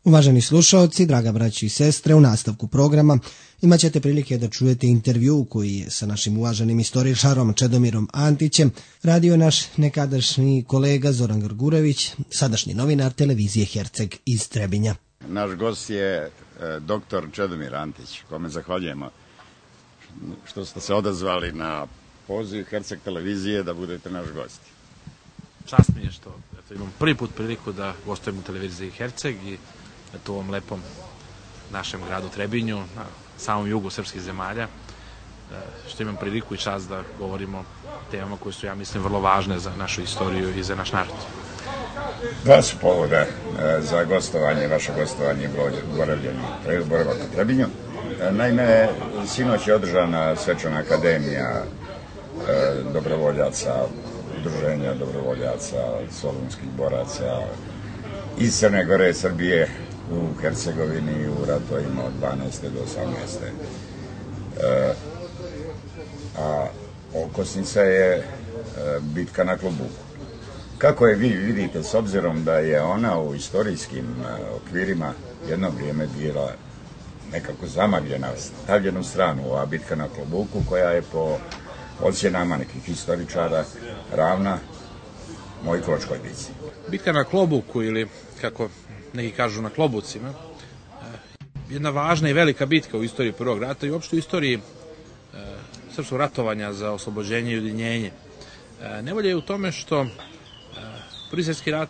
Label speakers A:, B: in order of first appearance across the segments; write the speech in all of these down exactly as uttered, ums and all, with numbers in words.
A: Uvaženi slušaoci, draga braći i sestre, u nastavku programa imat ćete prilike da čujete intervju koji je sa našim uvaženim istoričarom Čedomirom Antićem radio naš nekadašnji kolega Zoran Grgurević, sadašnji novinar televizije Herceg iz Trebinja.
B: Naš gost je e, doktor Čedomir Antić, kome zahvaljujemo što ste se odazvali na poziv Herceg televizije da budete naš gost.
C: Čast mi je što eto, imam prvi put priliku da gostujem u televiziji Herceg i eto, u ovom lepom našem gradu Trebinju, na samom jugu srpskih zemalja, što imam priliku i čast da govorimo o temama koje su, ja mislim, vrlo važne za našu istoriju i za naš narod.
B: Dva su povoda za gostovanje, vaše gostovanje u boravak u Trebinju. Naime, sinoć je održana svečana akademija dobrovoljaca, udruženja dobrovoljaca, solunskih boraca iz Crne Gore i Srbije u Hercegovini u ratovima od dvanaeste do osamnaeste. E, a okosnica je e, bitka na Klobuku. Kako je vi vidite, s obzirom da je ona u istorijskim e, okvirima jedno vrijeme bila nekako zamagljena, stavljena u stranu, ova bitka na Klobuku, koja je po ocjenama nekih historičara ravna Mojkovačkoj bici.
C: Bitka na Klobuku, ili kako neki kažu na Klobucima, jedna važna i velika bitka u istoriji Prvog rata i uopšte u istoriji e, srpskog ratovanja za oslobođenje i ujedinjenje. E, nevolja je u tome što e, Prvi svjetski rat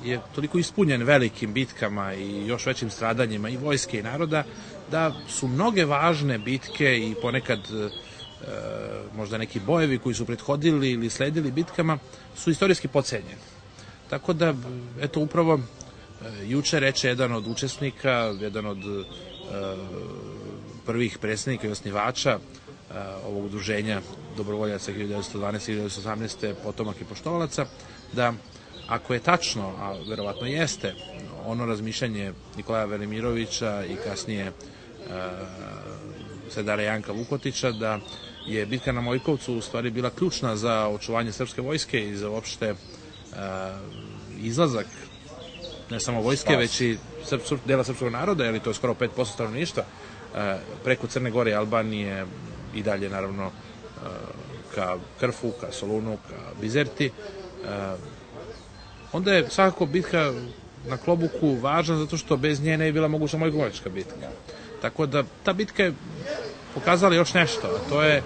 C: je toliko ispunjen velikim bitkama i još većim stradanjima i vojske i naroda, da su mnoge važne bitke i ponekad e, možda neki bojevi koji su prethodili ili sledili bitkama su istorijski podcenjeni. Tako da, eto, upravo juče reče jedan od učesnika, jedan od uh, prvih predsjednika i osnivača uh, ovog udruženja dobrovoljaca hiljadu devetsto dvanaeste do hiljadu devetsto osamnaeste potomak i poštovalaca, da ako je tačno, a verovatno jeste, ono razmišljanje Nikolaja Velimirovića i kasnije uh, Sedara Janka Vukotića, da je bitka na Mojkovcu u stvari bila ključna za očuvanje srpske vojske i za uopšte uh, izlazak ne samo vojske, već i srp, srp, dela srpskog naroda, jer to je skoro pet posto stanovništva, preko Crne Gore i Albanije i dalje, naravno, ka Krfu, ka Solunu, ka Bizerti. Onda je svakako bitka na Klobuku važna zato što bez nje ne je bila moguća Mojkovačka bitka. Tako da ta bitka je pokazala još nešto, a to je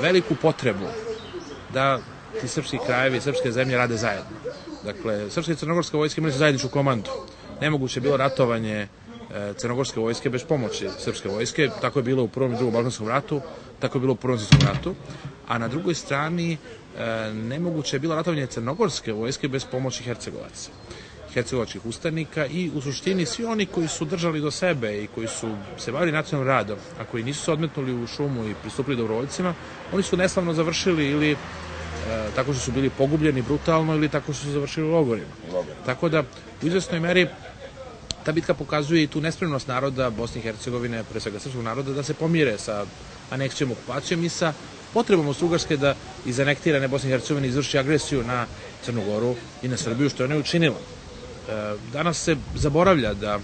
C: veliku potrebu da ti srpski krajevi, srpske zemlje rade zajedno. Dakle, srpska i crnogorska vojska imali su zajedničku komandu. Nemoguće je bilo ratovanje e, crnogorske vojske bez pomoći srpske vojske. Tako je bilo u Prvom i Drugom Balkanskom ratu, tako je bilo u Prvom svjetskom ratu. A na drugoj strani e, nemoguće je bilo ratovanje crnogorske vojske bez pomoći Hercegovaca, hercegovačkih ustanika i u suštini svi oni koji su držali do sebe i koji su se bavili nacionalnim radom, a koji nisu se odmetnuli u šumu i pristupili dobrovoljcima, oni su neslavno završili ili E, tako što su bili pogubljeni brutalno ili tako što su završili u logorima. Tako da, u izvesnoj meri, ta bitka pokazuje i tu nespremnost naroda Bosne i Hercegovine, pre svega srpskog naroda, da se pomire sa aneksijom, okupacijom i sa potrebom Austrougarske da iz anektirane Bosne i Hercegovine izvrši agresiju na Crnu Goru i na Srbiju, što je ona učinila. E, danas se zaboravlja da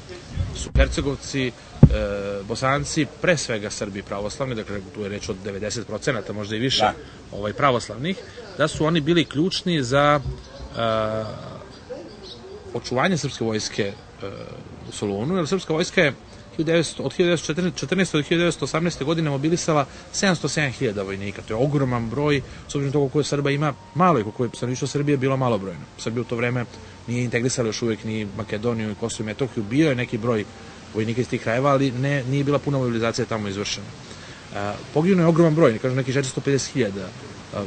C: su Hercegovci, E, Bosanci, pre svega Srbi pravoslavni, dakle tu je reč od devedeset procenata, možda i više, da. ovaj, pravoslavnih, da su oni bili ključni za e, očuvanje srpske vojske e, u Solunu, jer srpska vojska je od hiljadu devetsto četrnaeste do hiljadu devetsto osamnaeste godine mobilisala sedamsto sedam hiljada vojnika. To je ogroman broj, s obzirom toga koliko Srba ima malo i koliko je stanovništvo Srbije bilo malobrojno. Srbija u to vreme nije integrisala još uvijek ni Makedoniju i Kosovo i Metohiju, bio je neki broj vojnika iz tih krajeva, ali ne, nije bila puna mobilizacija tamo izvršena. Poginuo je ogroman broj, ne kažem neki četiristo pedeset hiljada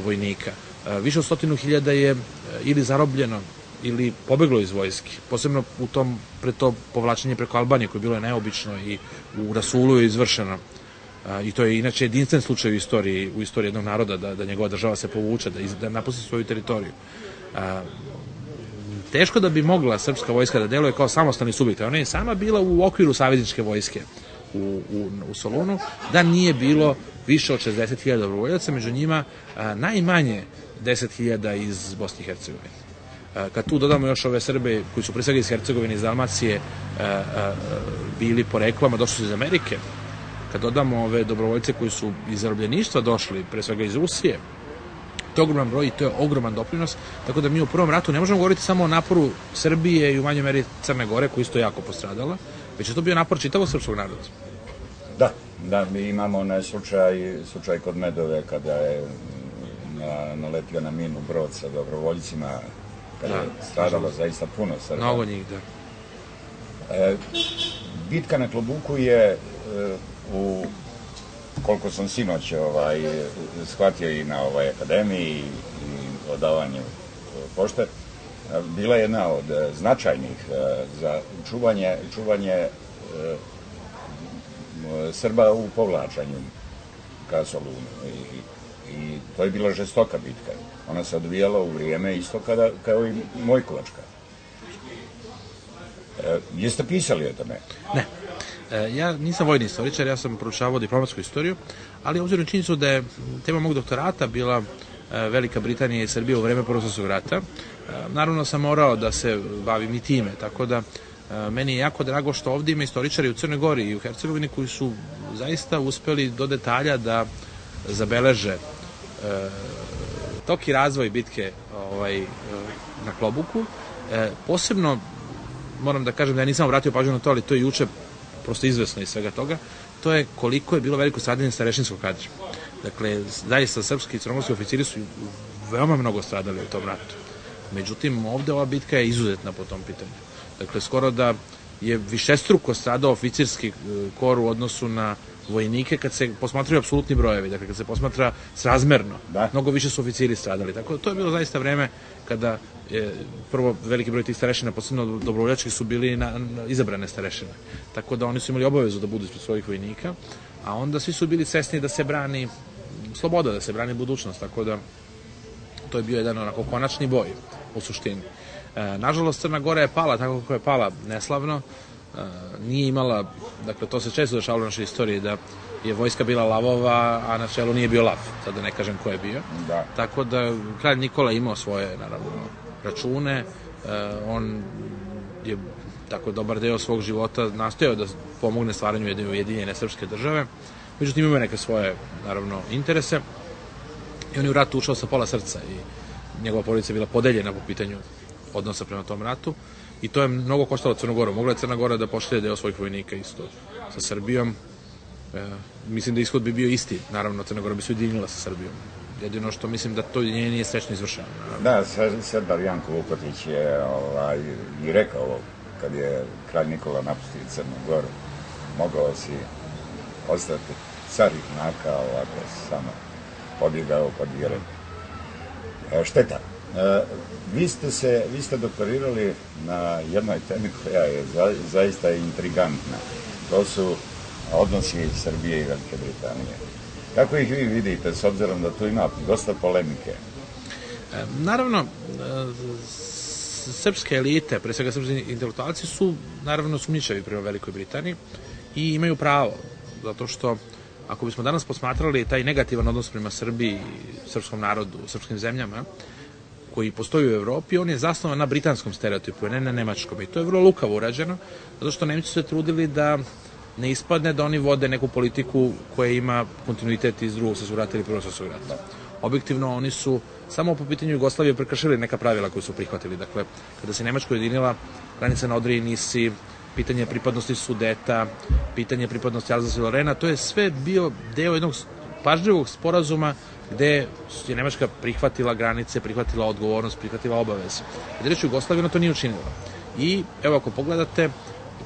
C: vojnika. A, više od stotinu hiljada je ili zarobljeno ili pobeglo iz vojske, posebno u tom, pre to povlačenje preko Albanije, koje je bilo neobično i u Rasulu je izvršeno. A, I to je inače jedinstven slučaj u istoriji, u istoriji jednog naroda, da, da njegova država se povuče, da, iz, da napusti svoju teritoriju. A, teško da bi mogla srpska vojska da deluje kao samostalni subjekt. Ona je sama bila u okviru savezničke vojske u, u, u Solunu, da nije bilo više od šezdeset hiljada dobrovoljaca, među njima a, najmanje deset hiljada iz Bosne i Hercegovine. Kad tu dodamo još ove Srbe koji su pre svega iz Hercegovine, iz Dalmacije bili poreklom, a došli su iz Amerike, kad dodamo ove dobrovoljce koji su iz zarobljeništva došli, pre svega iz Rusije, to je ogroman broj i to je ogroman doprinos, tako da mi u prvom ratu ne možemo govoriti samo o naporu Srbije i u manjoj meri Crne Gore, koji isto jako postradala, već je to bio napor čitavog srpskog naroda.
B: Da, da, mi imamo onaj slučaj, slučaj kod Medove, kada je na, naletio na minu brod sa dobrovoljcima, kada da, je stradalo zaista puno Srba.
C: Mnogo njih, da.
B: E, bitka na Klobuku je e, u, koliko sam sinoć ovaj, shvatio i na ovoj akademiji i odavanju pošte, bila jedna od značajnih e, za čuvanje, čuvanje e, Srba u povlačanju ka Solunu. I, i to je bila žestoka bitka. Ona se odvijala u vrijeme isto kada, kao i Mojkovačka. E, jeste pisali o tome?
C: Ne. E, ja nisam vojni istoričar, ja sam proučavao diplomatsku istoriju, ali obzirom činjenicu da je tema mog doktorata bila e, Velika Britanija i Srbija u vreme Prvog svjetskog rata, e, naravno sam morao da se bavim i time, tako da e, meni je jako drago što ovdje ima istoričari u Crnoj Gori i u Hercegovini koji su zaista uspeli do detalja da zabeleže e, tok i razvoj bitke ovaj, e, na Klobuku. E, posebno moram da kažem da ja nisam obratio pažnju na to, ali to je juče prosto izvesno iz svega toga, to je koliko je bilo veliko stradanje starešinskog kadra. Dakle, zaista srpski i crnogorski oficiri su veoma mnogo stradali u tom ratu. Međutim, ovde ova bitka je izuzetna po tom pitanju. Dakle, skoro da je višestruko stradao oficirski kor u odnosu na vojnike kad se posmatraju apsolutni brojevi, dakle kad se posmatra srazmerno, da. Mnogo više su oficiri stradali. Tako da to je bilo zaista vreme kada je, prvo veliki broj tih starešina, posebno dobrovoljačkih, su bili na, na izabrane starešine. Tako da oni su imali obavezu da budu ispred svojih vojnika, a onda svi su bili svesni da se brani sloboda, da se brani budućnost, tako da to je bio jedan onako konačni boj u suštini. E, nažalost, Crna Gora je pala tako kako je pala neslavno. Uh, nije imala, dakle to se često dešavalo u našoj istoriji da je vojska bila lavova, a na čelu nije bio lav, sad da ne kažem ko je bio. Da. Tako da kralj Nikola imao svoje, naravno, račune, uh, on je tako dobar deo svog života nastojao da pomogne stvaranju jedne ujedinjene srpske države, međutim imao neke svoje, naravno, interese i on je u ratu ušao sa pola srca i njegova porodica je bila podeljena po pitanju odnosa prema tom ratu. I to je mnogo koštalo Crnu Goru. Mogla je Crna Gora da pošalje deo svojih vojnika isto sa Srbijom. E, mislim da ishod bi bio isti. Naravno, Crna Gora bi se ujedinila sa Srbijom. Jedino što mislim da to nje nije srećno izvršeno.
B: Da, Serdar Janko Vukotić je ovaj, i rekao kad je kralj Nikola napustio Crnu Goru, mogao si ostati car Naka, ovako samo pobjegao pod vjere. E, šteta. E, vi ste se, vi ste doktorirali na jednoj temi koja je za, zaista intrigantna. To su odnosi Srbije i Velike Britanije. Kako ih vi vidite, s obzirom da tu ima dosta polemike?
C: E, naravno, e, srpske elite, pre svega srpski intelektualci su naravno sumnjičavi prema Velikoj Britaniji i imaju pravo, zato što ako bismo danas posmatrali taj negativan odnos prema Srbiji, srpskom narodu, srpskim zemljama, koji postoji u Evropi, on je zasnovan na britanskom stereotipu, ne na nemačkom. I to je vrlo lukavo urađeno, zato što Nemci su se trudili da ne ispadne da oni vode neku politiku koja ima kontinuitet iz drugog svjetskog rata ili prvog svjetskog rata. Objektivno, oni su samo po pitanju Jugoslavije prekršili neka pravila koje su prihvatili. Dakle, kada se Nemačka ujedinila, granica na Odri i Nisi, pitanje pripadnosti Sudeta, pitanje pripadnosti Alzasa i Lorena, to je sve bio deo jednog pažljivog sporazuma gde je Nemačka prihvatila granice, prihvatila odgovornost, prihvatila obaveze. Kada reći Jugoslavija, to nije učinila. I evo, ako pogledate,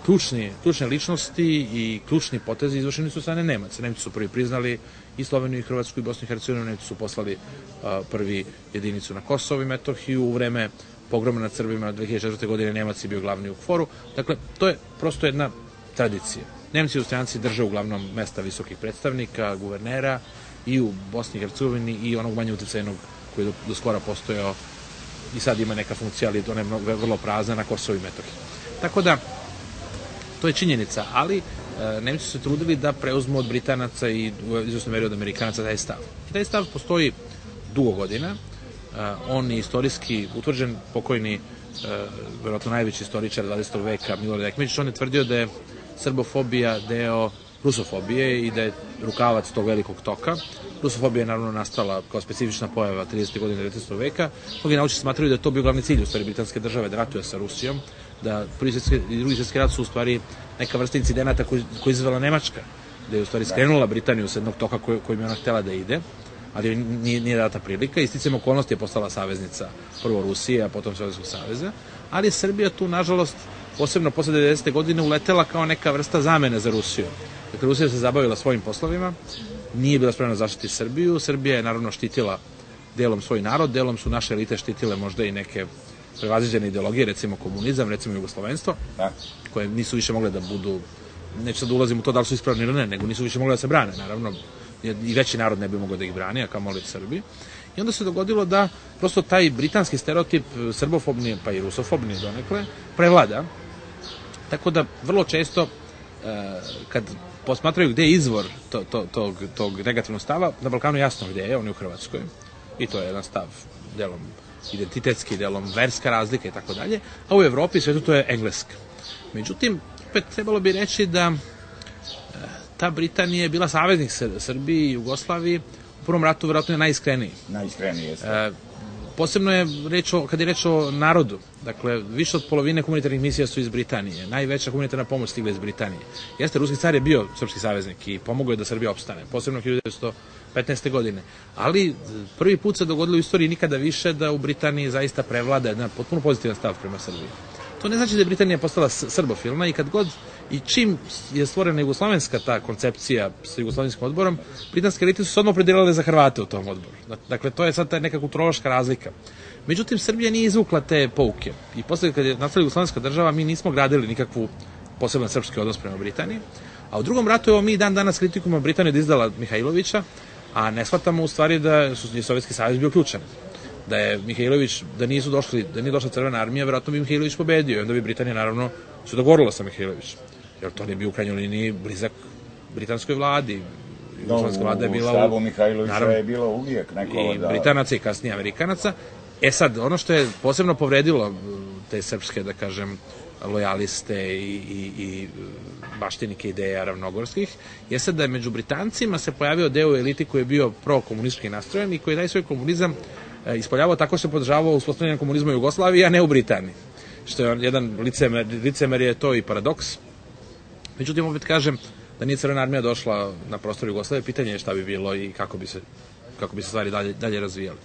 C: ključni, ključne ličnosti i ključni potezi izvršeni su strane Nemaca. Nemci su prvi priznali i Sloveniju, i Hrvatsku, i Bosnu i Hercegovinu. Nemci su poslali a, prvi jedinicu na Kosovo i Metohiju u vreme pogroma nad Srbima dve hiljade četvrte. godine. Nemac je bio glavni u kforu. Dakle, to je prosto jedna tradicija. Nemci i Austrijanci drže uglavnom mesta visokih predstavnika, guvernera, i u Bosni i Hercegovini i onog manje utjecajnog koji je do, do skora postojao i sad ima neka funkcija, ali ona je vrlo prazna na Kosovo i Metohiji. Tako da, to je činjenica, ali e, Nemci su se trudili da preuzmu od Britanaca i u izvjesnoj meri od Amerikanaca taj stav. Taj stav postoji dugo godina. E, on je istorijski utvrđen, pokojni, verovatno najveći istoričar dvadesetog veka, Milorad Ekmedžić, on je tvrdio da je srbofobija deo rusofobije i da je rukavac tog velikog toka. Rusofobija je naravno nastala kao specifična pojava tridesetih godina devetnaestog veka. Mnogi naučnici smatraju da je to bio glavni cilj u stvari britanske države, da ratuje sa Rusijom, da prvi svjetski i drugi svjetski rat su u stvari neka vrsta incidenata koji, koji izazvala Nemačka, da je u stvari skrenula Britaniju sa jednog toka koj, kojim je ona htela da ide, ali nije, nije data prilika. Isticajem okolnosti je postala saveznica prvo Rusije, a potom Sovjetskog saveza, ali je Srbija tu, nažalost, posebno posle devedesete godine uletela kao neka vrsta zamene za Rusiju. Dakle, Rusija se zabavila svojim poslovima, nije bila spremna zaštiti Srbiju, Srbija je naravno štitila delom svoj narod, delom su naše elite štitile možda i neke prevaziđene ideologije, recimo komunizam, recimo jugoslovenstvo, koje nisu više mogle da budu, neću sad da ulazim u to da li su ispravni ili ne, nego nisu više mogle da se brane, naravno, i veći narod ne bi mogao da ih brani, a kamoli Srbi. I onda se dogodilo da prosto taj britanski stereotip, srbofobni, pa i rusofobni donekle, prevlada. Tako da vrlo često, kad posmatraju gde je izvor to, to, tog, tog negativnog stava, na Balkanu jasno gde je, on je u Hrvatskoj, i to je jedan stav delom identitetski, delom verska razlika i tako dalje, a u Evropi svetu to je engleska. Međutim, opet trebalo bi reći da ta Britanija je bila saveznik Srbiji i Jugoslaviji, u prvom ratu vjerojatno je najiskreniji.
B: Najiskreniji, jeste.
C: E, posebno je reč o, kad je reč o narodu, dakle, više od polovine humanitarnih misija su iz Britanije, najveća humanitarna pomoć stigla iz Britanije. Jeste, ruski car je bio srpski saveznik i pomogao je da Srbija opstane, posebno hiljadu devetsto petnaeste. godine. Ali prvi put se dogodilo u istoriji nikada više da u Britaniji zaista prevlada jedan potpuno pozitivan stav prema Srbiji. To ne znači da je Britanija postala srbofilna i kad god i čim je stvorena jugoslovenska ta koncepcija sa jugoslovenskim odborom, britanske elite su se odmah opredelile za Hrvate u tom odboru. Dakle, to je sad ta neka kulturološka razlika. Međutim, Srbija nije izvukla te pouke i posle kad je nastala jugoslovenska država, mi nismo gradili nikakvu poseban srpski odnos prema Britaniji, a u drugom ratu evo mi dan danas kritikujemo Britaniju da izdala Mihajlovića, a ne shvatamo u stvari da je Sovjetski savez bio ključan. Da je Mihajlović, da nisu došli, da nije došla Crvena armija, verovatno bi Mihajlović pobedio i onda bi Britanija naravno se dogovorila sa Mihajlovićem. Jer to ne bi u krajnjoj liniji blizak britanskoj vladi.
B: No, vlada je bila u štabu Mihajlovića naravno, je bilo uvijek neko
C: i
B: da...
C: Britanaca i kasnije Amerikanaca. E sad, ono što je posebno povredilo te srpske, da kažem, lojaliste i, i, i baštenike ideja ravnogorskih, je sad da je među Britancima se pojavio deo eliti koji je bio pro-komunistički nastrojen i koji je taj svoj komunizam ispoljavao tako se podržavao uspostavljanje komunizma u Jugoslaviji, a ne u Britaniji. Što je jedan licemer, licemer je to i paradoks. Međutim, opet kažem da nije Crvena armija došla na prostor Jugoslavije, pitanje je šta bi bilo i kako bi se, kako bi se stvari dalje, dalje razvijali.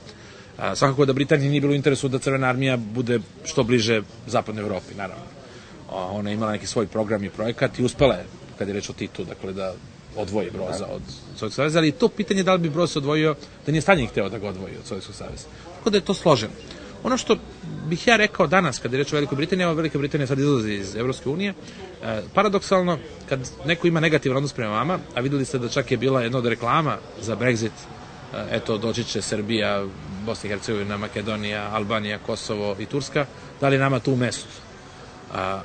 C: A, svakako da Britaniji nije bilo u interesu da Crvena armija bude što bliže zapadnoj Evropi, naravno. A, ona je imala neki svoj program i projekat i uspela je, kad je reč o Titu, dakle da odvoji Broza od Sovjetskog saveza, ali to pitanje da li bi Broz se odvojio, da nije Staljin hteo da ga odvoji od Sovjetskog saveza. Tako da je to složeno. Ono što bih ja rekao danas, kada je reč o Velikoj Britaniji, evo Velika Britanija sad izlazi iz Evropske unije, e, paradoksalno, kad neko ima negativan odnos prema vama, a videli ste da čak je bila jedna od reklama za Brexit, e, eto, doći će Srbija, Bosna i Hercegovina, Makedonija, Albanija, Kosovo i Turska, da li nama tu mesto? A,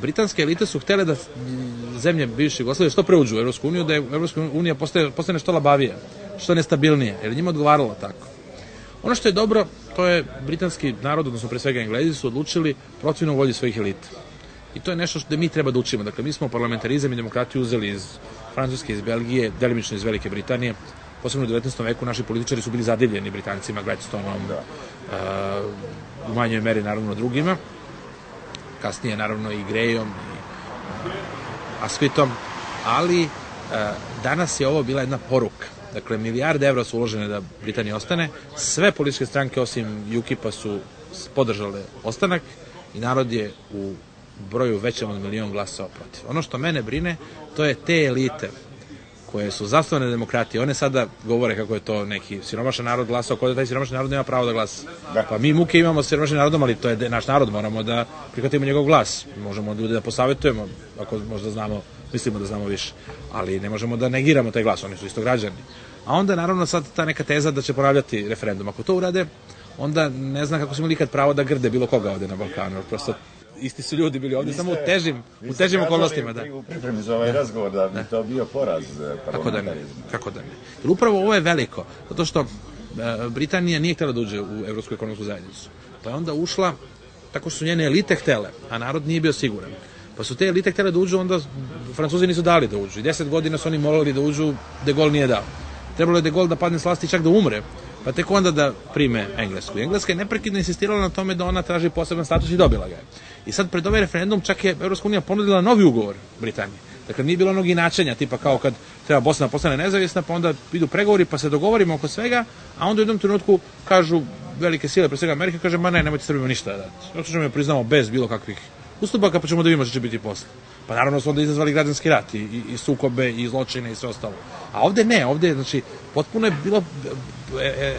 C: britanske elite su htele da zemlje bivše Jugoslavije što pre uđu u Evropsku uniju, da je Evropska unija postane, postane što labavija, što nestabilnije, jer njima odgovaralo tako. Ono što je dobro, to je britanski narod, odnosno pre svega Englezi, su odlučili protivno volji svojih elita. I to je nešto što mi treba da učimo. Dakle, mi smo parlamentarizam i demokratiju uzeli iz Francuske, iz Belgije, delimično iz Velike Britanije. Posebno u devetnaestom veku naši političari su bili zadivljeni Britancima, Gladstoneom, uh, u manjoj meri naravno drugima. Kasnije naravno i Grejom i uh, Asquithom, ali uh, danas je ovo bila jedna poruka. Dakle, milijarde evra su uložene da Britanija ostane, sve političke stranke osim U K I P-a su podržale ostanak i narod je u broju većem od milion glasova protiv. Ono što mene brine, to je te elite koje su zasnovane demokratije, one sada govore kako je to neki siromašan narod glasao, kako da taj siromašan narod nema pravo da glasa. Pa mi muke imamo s siromašnim narodom, ali to je naš narod, moramo da prihvatimo njegov glas. Možemo ljudi da posavetujemo, ako možda znamo, mislimo da znamo više, ali ne možemo da negiramo taj glas, oni su isto građani. A onda naravno sad ta neka teza da će ponavljati referendum. Ako to urade, onda ne znam kako smo imali ikad pravo da grde bilo koga ovde na Balkanu, prosto isti su ljudi bili ovdje, samo u težim, u težim okolnostima. Da.
B: U pripremi za ovaj razgovor da bi to bio poraz parlamentarizma.
C: Kako da ne, kako da ne. Jer upravo ovo je veliko, zato što Britanija nije htjela da uđe u Evropsku ekonomsku zajednicu. Pa je onda ušla tako što su njene elite htele, a narod nije bio siguran. Pa su te elite htjele da uđu, onda Francuzi nisu dali da uđu. I deset godina su oni morali da uđu, De Gaulle nije dao. Trebalo je De Gaulle da padne s vlasti čak da umre, pa tek onda da prime Englesku. Engleska je neprekidno insistirala na tome da ona traži poseban status i dobila ga je. I sad pred ovaj referendum čak je Evropska unija ponudila novi ugovor Britaniji. Dakle, nije bilo onog inačenja, tipa kao kad treba Bosna postane nezavisna, pa onda idu pregovori, pa se dogovorimo oko svega, a onda u jednom trenutku kažu velike sile, pre svega Amerika, kaže, ma ne, nemojte Srbima ništa da dati. Zato ćemo je priznamo bez bilo kakvih ustupaka, pa ćemo da vidimo što će biti posle. Pa naravno su onda izazvali građanski rat i, i, i sukobe i zločine i sve ostalo. A ovde ne, ovde, znači, potpuno je bilo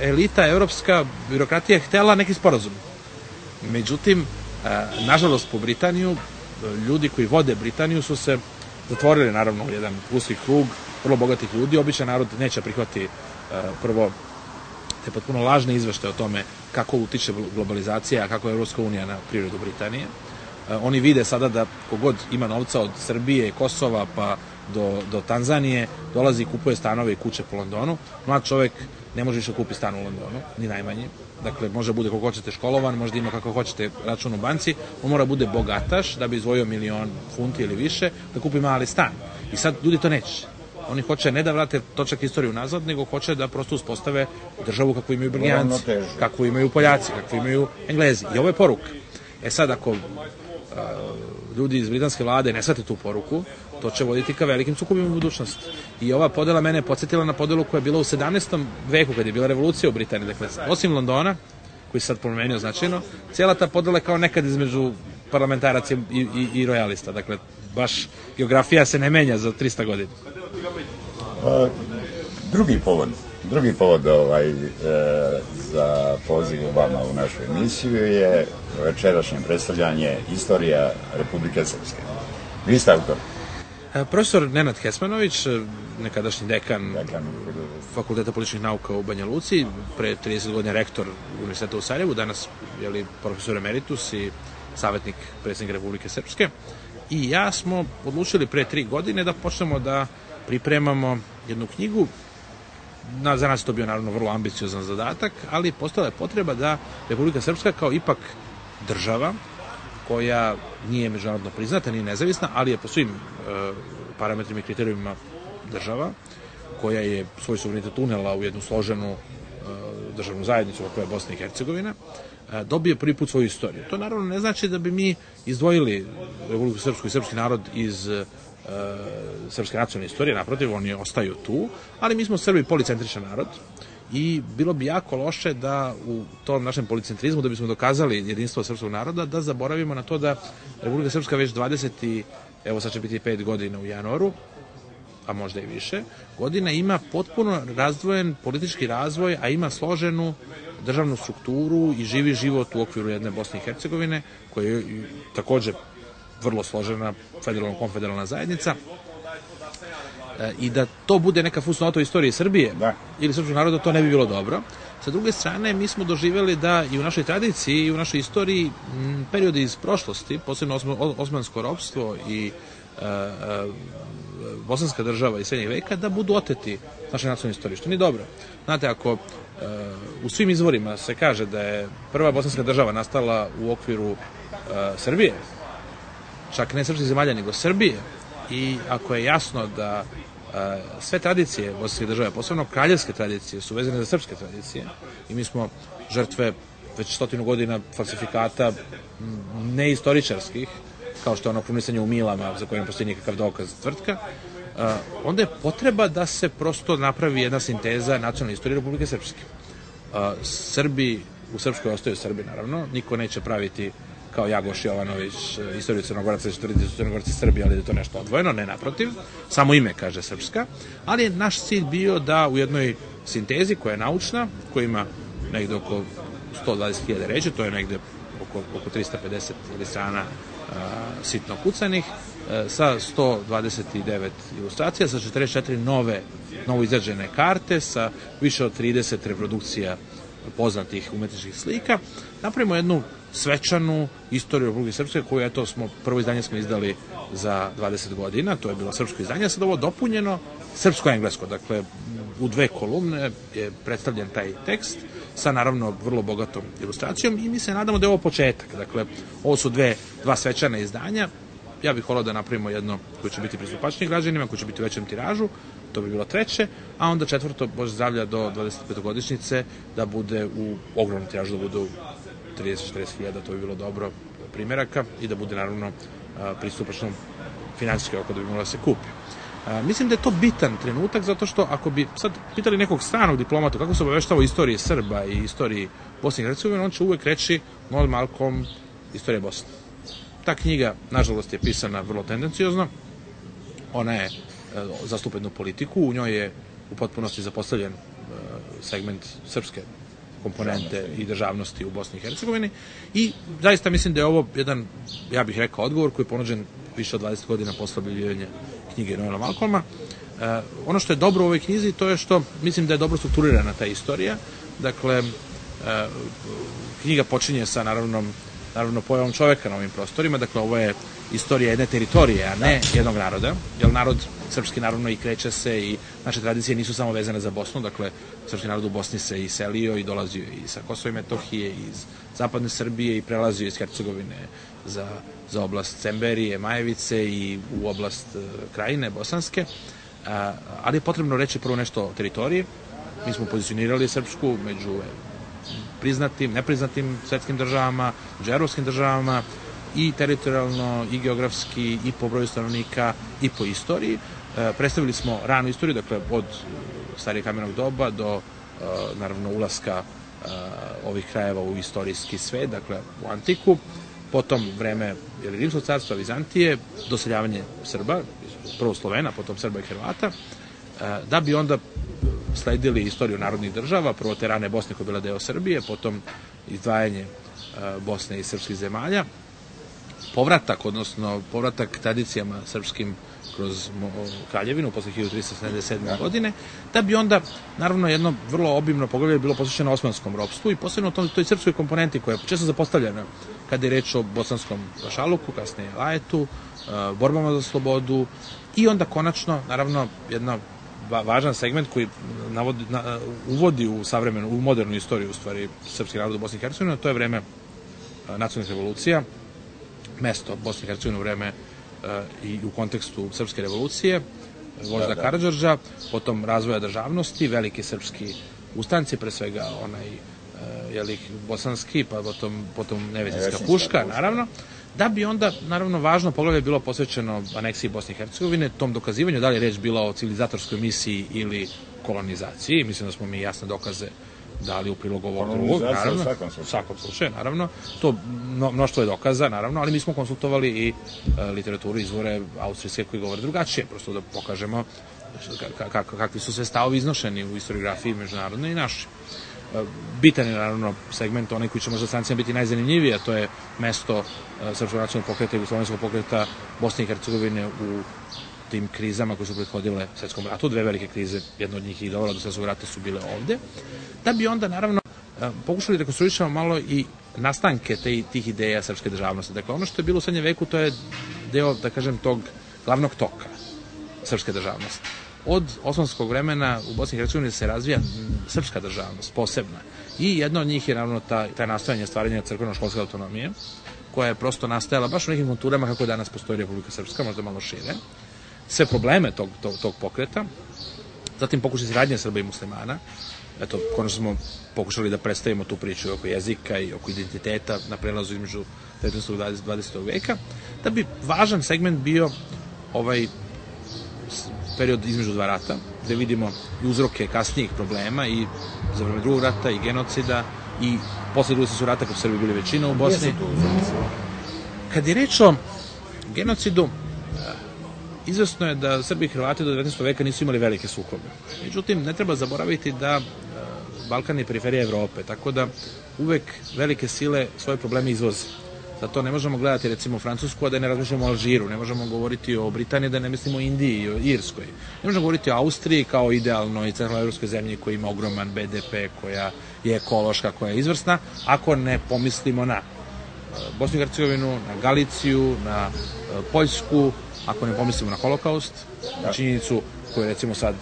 C: elita, evropska birokratija htela neki sporazum. Međutim, nažalost po Britaniju, ljudi koji vode Britaniju su se zatvorili naravno u jedan uski krug vrlo bogatih ljudi. Običan narod neće prihvati prvo te potpuno lažne izveštaje o tome kako utiče globalizacija, kako je Evropska unija na prirodu Britanije. Oni vide sada da kogod ima novca od Srbije, Kosova pa do, do Tanzanije, dolazi i kupuje stanove i kuće po Londonu. Mlad čovek ne može više kupi stan u Londonu, ni najmanje. Dakle, može bude kako hoćete školovan, možda ima kako hoćete račun u banci, on mora bude bogataš da bi izvojio milion funti ili više da kupi mali stan. I sad ljudi to neće. Oni hoće ne da vrate točak istoriju nazad, nego hoće da prosto uspostave državu kakvu imaju Belgijanci, kakvu imaju Poljaci, kakvu imaju Englezi. I ovo je poruka. E sad, ako ljudi iz britanske vlade ne shvate tu poruku, to će voditi ka velikim sukobima u budućnosti. I ova podela mene je podsjetila na podelu koja je bila u sedamnaestom veku, kad je bila revolucija u Britaniji. Dakle, osim Londona, koji se sad promenio značajno, cijela ta podela je kao nekad između parlamentaraca i, i, i rojalista. Dakle, baš geografija se ne menja za trista godina.
B: A, drugi povod, drugi povod ovaj, e, za poziv vama u našu emisiju je večerašnje predstavljanje Istorija Republike Srpske. Vi ste autor.
C: Profesor Nenad Hesmanović, nekadašnji dekan, dekan Fakulteta političkih nauka u Banja Luci, pre trideset godina rektor Univerziteta u Sarajevu, danas je li profesor emeritus i savjetnik predsjednika Republike Srpske. I ja smo odlučili pre tri godine da počnemo da pripremamo jednu knjigu. Na, za nas je to bio naravno vrlo ambiciozan zadatak, ali postala je potreba da Republika Srpska kao ipak država koja nije međunarodno priznata, nije nezavisna, ali je po svim e, parametrima i kriterijumima država, koja je svoj suverenitet unela u jednu složenu e, državnu zajednicu koja je Bosna i Hercegovina, e, dobije prvi put svoju istoriju. To naravno ne znači da bi mi izdvojili Republiku Srpsku i srpski narod iz e, srpske nacionalne istorije, naprotiv, oni ostaju tu, ali mi smo Srbi policentričan narod i bilo bi jako loše da u tom našem policentrizmu, da bismo dokazali jedinstvo srpskog naroda, da zaboravimo na to da Republika Srpska već dvadeset i, evo sad će biti pet godina u januaru, a možda i više, godina ima potpuno razdvojen politički razvoj, a ima složenu državnu strukturu i živi život u okviru jedne Bosne i Hercegovine, koja je takođe vrlo složena federalno-konfederalna zajednica, e, i da to bude neka fusnota u istoriji Srbije da. Ili srpskog naroda, to ne bi bilo dobro. Sa druge strane, mi smo doživjeli da i u našoj tradiciji i u našoj istoriji m, periodi iz prošlosti, posebno osmansko ropstvo i e, e, bosanska država iz srednjeg veka, da budu oteti naše nacionalne istorije, što nije dobro. Znate, ako e, u svim izvorima se kaže da je prva bosanska država nastala u okviru e, Srbije, čak ne srpskih zemalja, nego Srbije, i ako je jasno da a, sve tradicije bosanske države, posebno kraljevske tradicije, su vezane za srpske tradicije i mi smo žrtve već stotinu godina falsifikata neistoričarskih, kao što je ono krunisanje u Milama, za koje ne postoji nikakav dokaz tvrtka, a, onda je potreba da se prosto napravi jedna sinteza nacionalne istorije Republike Srpske. A, Srbi u Srpskoj ostaju Srbi, naravno, niko neće praviti kao Jagoš Jovanović istoriju Crnogoraca, što tvrditi da su Crnogorci Srbi, ali da je to nešto odvojeno, ne, naprotiv, samo ime kaže Srpska, ali je naš cilj bio da u jednoj sintezi koja je naučna, koja ima negde oko sto dvadeset hiljada reči, to je negde oko, oko trista pedeset strana a, sitno kucanih, a, sa sto dvadeset devet ilustracija, sa četrdeset četiri nove, novo izrađene karte, sa više od trideset reprodukcija poznatih umetničkih slika, napravimo jednu svečanu istoriju Republike Srpske koju eto smo, prvo izdanje smo izdali za dvadeset godina, to je bilo srpsko izdanje, sad ovo dopunjeno srpsko-englesko, dakle u dve kolumne je predstavljen taj tekst sa naravno vrlo bogatom ilustracijom i mi se nadamo da je ovo početak, dakle ovo su dve, dva svečana izdanja, ja bih volao da napravimo jedno koje će biti pristupačnije građanima, koje će biti u većem tiražu, to bi bilo treće, a onda četvrto, Bože zdravlja, do dvadesetpetogodišnjice da bude u ogromnom tiražu, da bude u trideset do četrdeset hiljada, to bi bilo dobro primjeraka i da bude naravno pristupačno finansijski oko da bi mogla da se kupi. A, mislim da je to bitan trenutak, zato što ako bi sad pitali nekog stranog diplomata kako se obaveštava o istoriji Srba i istoriji Bosne i Hercegovine, on će uvek reći Noel Malcolm, istorija Bosne. Ta knjiga, nažalost, je pisana vrlo tendenciozno, ona je e, zastupa jednu politiku, u njoj je u potpunosti zapostavljen e, segment srpske komponente i državnosti u Bosni i Hercegovini i zaista mislim da je ovo jedan, ja bih rekao, odgovor koji je ponuđen više od dvadeset godina posle objavljivanja knjige Noela Malcolma. E, ono što je dobro u ovoj knjizi to je što mislim da je dobro strukturirana ta istorija. Dakle, e, knjiga počinje sa naravno, naravno pojavom čoveka na ovim prostorima, dakle ovo je istorija jedne teritorije, a ne jednog naroda, jer narod srpski naravno i kreće se i naše tradicije nisu samo vezane za Bosnu, dakle srpski narod u Bosni se i selio i dolazio i sa Kosova i Metohije, iz zapadne Srbije i prelazio iz Hercegovine za, za oblast Cemberije, Majevice i u oblast uh, Krajine, Bosanske, uh, ali je potrebno reći prvo nešto o teritoriji. Mi smo pozicionirali Srpsku među priznatim, nepriznatim svetskim državama, među evropskim državama, i teritorijalno, i geografski, i po broju stanovnika, i po istoriji. E, predstavili smo ranu istoriju, dakle od starijeg kamenog doba do, e, naravno, ulaska e, ovih krajeva u istorijski svet, dakle u antiku, potom vreme ili Rimskog carstva, Vizantije, doseljavanje Srba, prvo Slovena, potom Srba i Hrvata, e, da bi onda sledili istoriju narodnih država, prvo te rane Bosne koja je bila deo Srbije, potom izdvajanje e, Bosne i srpskih zemalja, povratak, odnosno povratak tradicijama srpskim kroz Kraljevinu posle hiljadu trista sedamdeset sedme. godine, da bi onda, naravno, jedno vrlo obimno poglavlje bilo posvećeno osmanskom ropstvu i posebno tom, toj srpskoj komponenti koja je često zapostavljena kada je reč o bosanskom pašaluku, kasnije Lajetu, borbama za slobodu i onda konačno, naravno, jedna važan segment koji navodi, na, uvodi u savremenu, u modernu istoriju, u stvari, srpski narod u Bosni i Hercegovini, to je vreme nacionalnih revolucija, mesto Bosne i Hercegovine u vreme uh, i u kontekstu srpske revolucije, vožda da, da. Karađorđa, potom razvoja državnosti, veliki srpski ustanci, pre svega onaj uh, jelik bosanski, pa potom, potom nevesinska puška, naravno, da bi onda, naravno, važno poglavlje bilo posvećeno aneksiji Bosne i Hercegovine, tom dokazivanju da li je reč bila o civilizatorskoj misiji ili kolonizaciji. Mislim da smo mi jasne dokaze dali u prilogu ovog drugog, naravno, u svakom slučaju, naravno, to mno, mnoštvo je dokaza, naravno, ali mi smo konsultovali i e, literaturu, izvore austrijske koji govore drugačije, prosto da pokažemo ka, ka, kakvi su sve stavovi iznošeni u historiografiji međunarodne i naši. E, bitan je, naravno, segment onaj koji će možda strancima biti najzanimljiviji, a to je mesto e, Srpskog nacionalnog pokreta i Jugoslovenskog pokreta Bosne i Hercegovine u tim krizama koje su prethodile svetskom ratu. Dve velike krize, jedna od njih i dovela do svetskog rata, su bile ovde. Da bi onda, naravno, pokušali da rekonstruišemo malo i nastanke te, tih ideja srpske državnosti. Dakle, ono što je bilo u srednjem veku, to je deo, da kažem, tog glavnog toka srpske državnosti. Od osmanskog vremena u Bosni i Hercegovini se razvija srpska državnost, posebna. I jedna od njih je, naravno, ta, ta nastojanje stvaranja crkveno-školske autonomije, koja je prosto nastajala baš u nekim konturama kako danas postoji Republika Srpska, možda malo šire. Sve probleme tog, tog, tog pokreta, zatim pokušaj saradnje Srba i muslimana. Eto, konačno smo pokušali da predstavimo tu priču oko jezika i oko identiteta na prelazu između devetnaestog i dvadesetog veka, da bi važan segment bio ovaj period između dva rata, gde vidimo i uzroke kasnijih problema i za vreme drugog rata i genocida i posle drugog svjetskog rata, kad su Srbi bili većina u Bosni. Kad je reč o genocidu, izvesno je da Srbi i Hrvati do devetnaestog veka nisu imali velike sukobe. Međutim, ne treba zaboraviti da Balkan je periferija Evrope, tako da uvek velike sile svoje probleme izvoze. Zato ne možemo gledati, recimo, Francusku, a da ne razmišljamo o Alžiru, ne možemo govoriti o Britaniji, da ne mislimo o Indiji i o Irskoj. Ne možemo govoriti o Austriji kao idealnoj centralnoevropskoj zemlji koja ima ogroman be de pe, koja je ekološka, koja je izvrsna, ako ne pomislimo na Bosnu i Hercegovinu, na Galiciju, na Poljsku, ako ne pomislimo na holokaust, na činjenicu koju recimo sad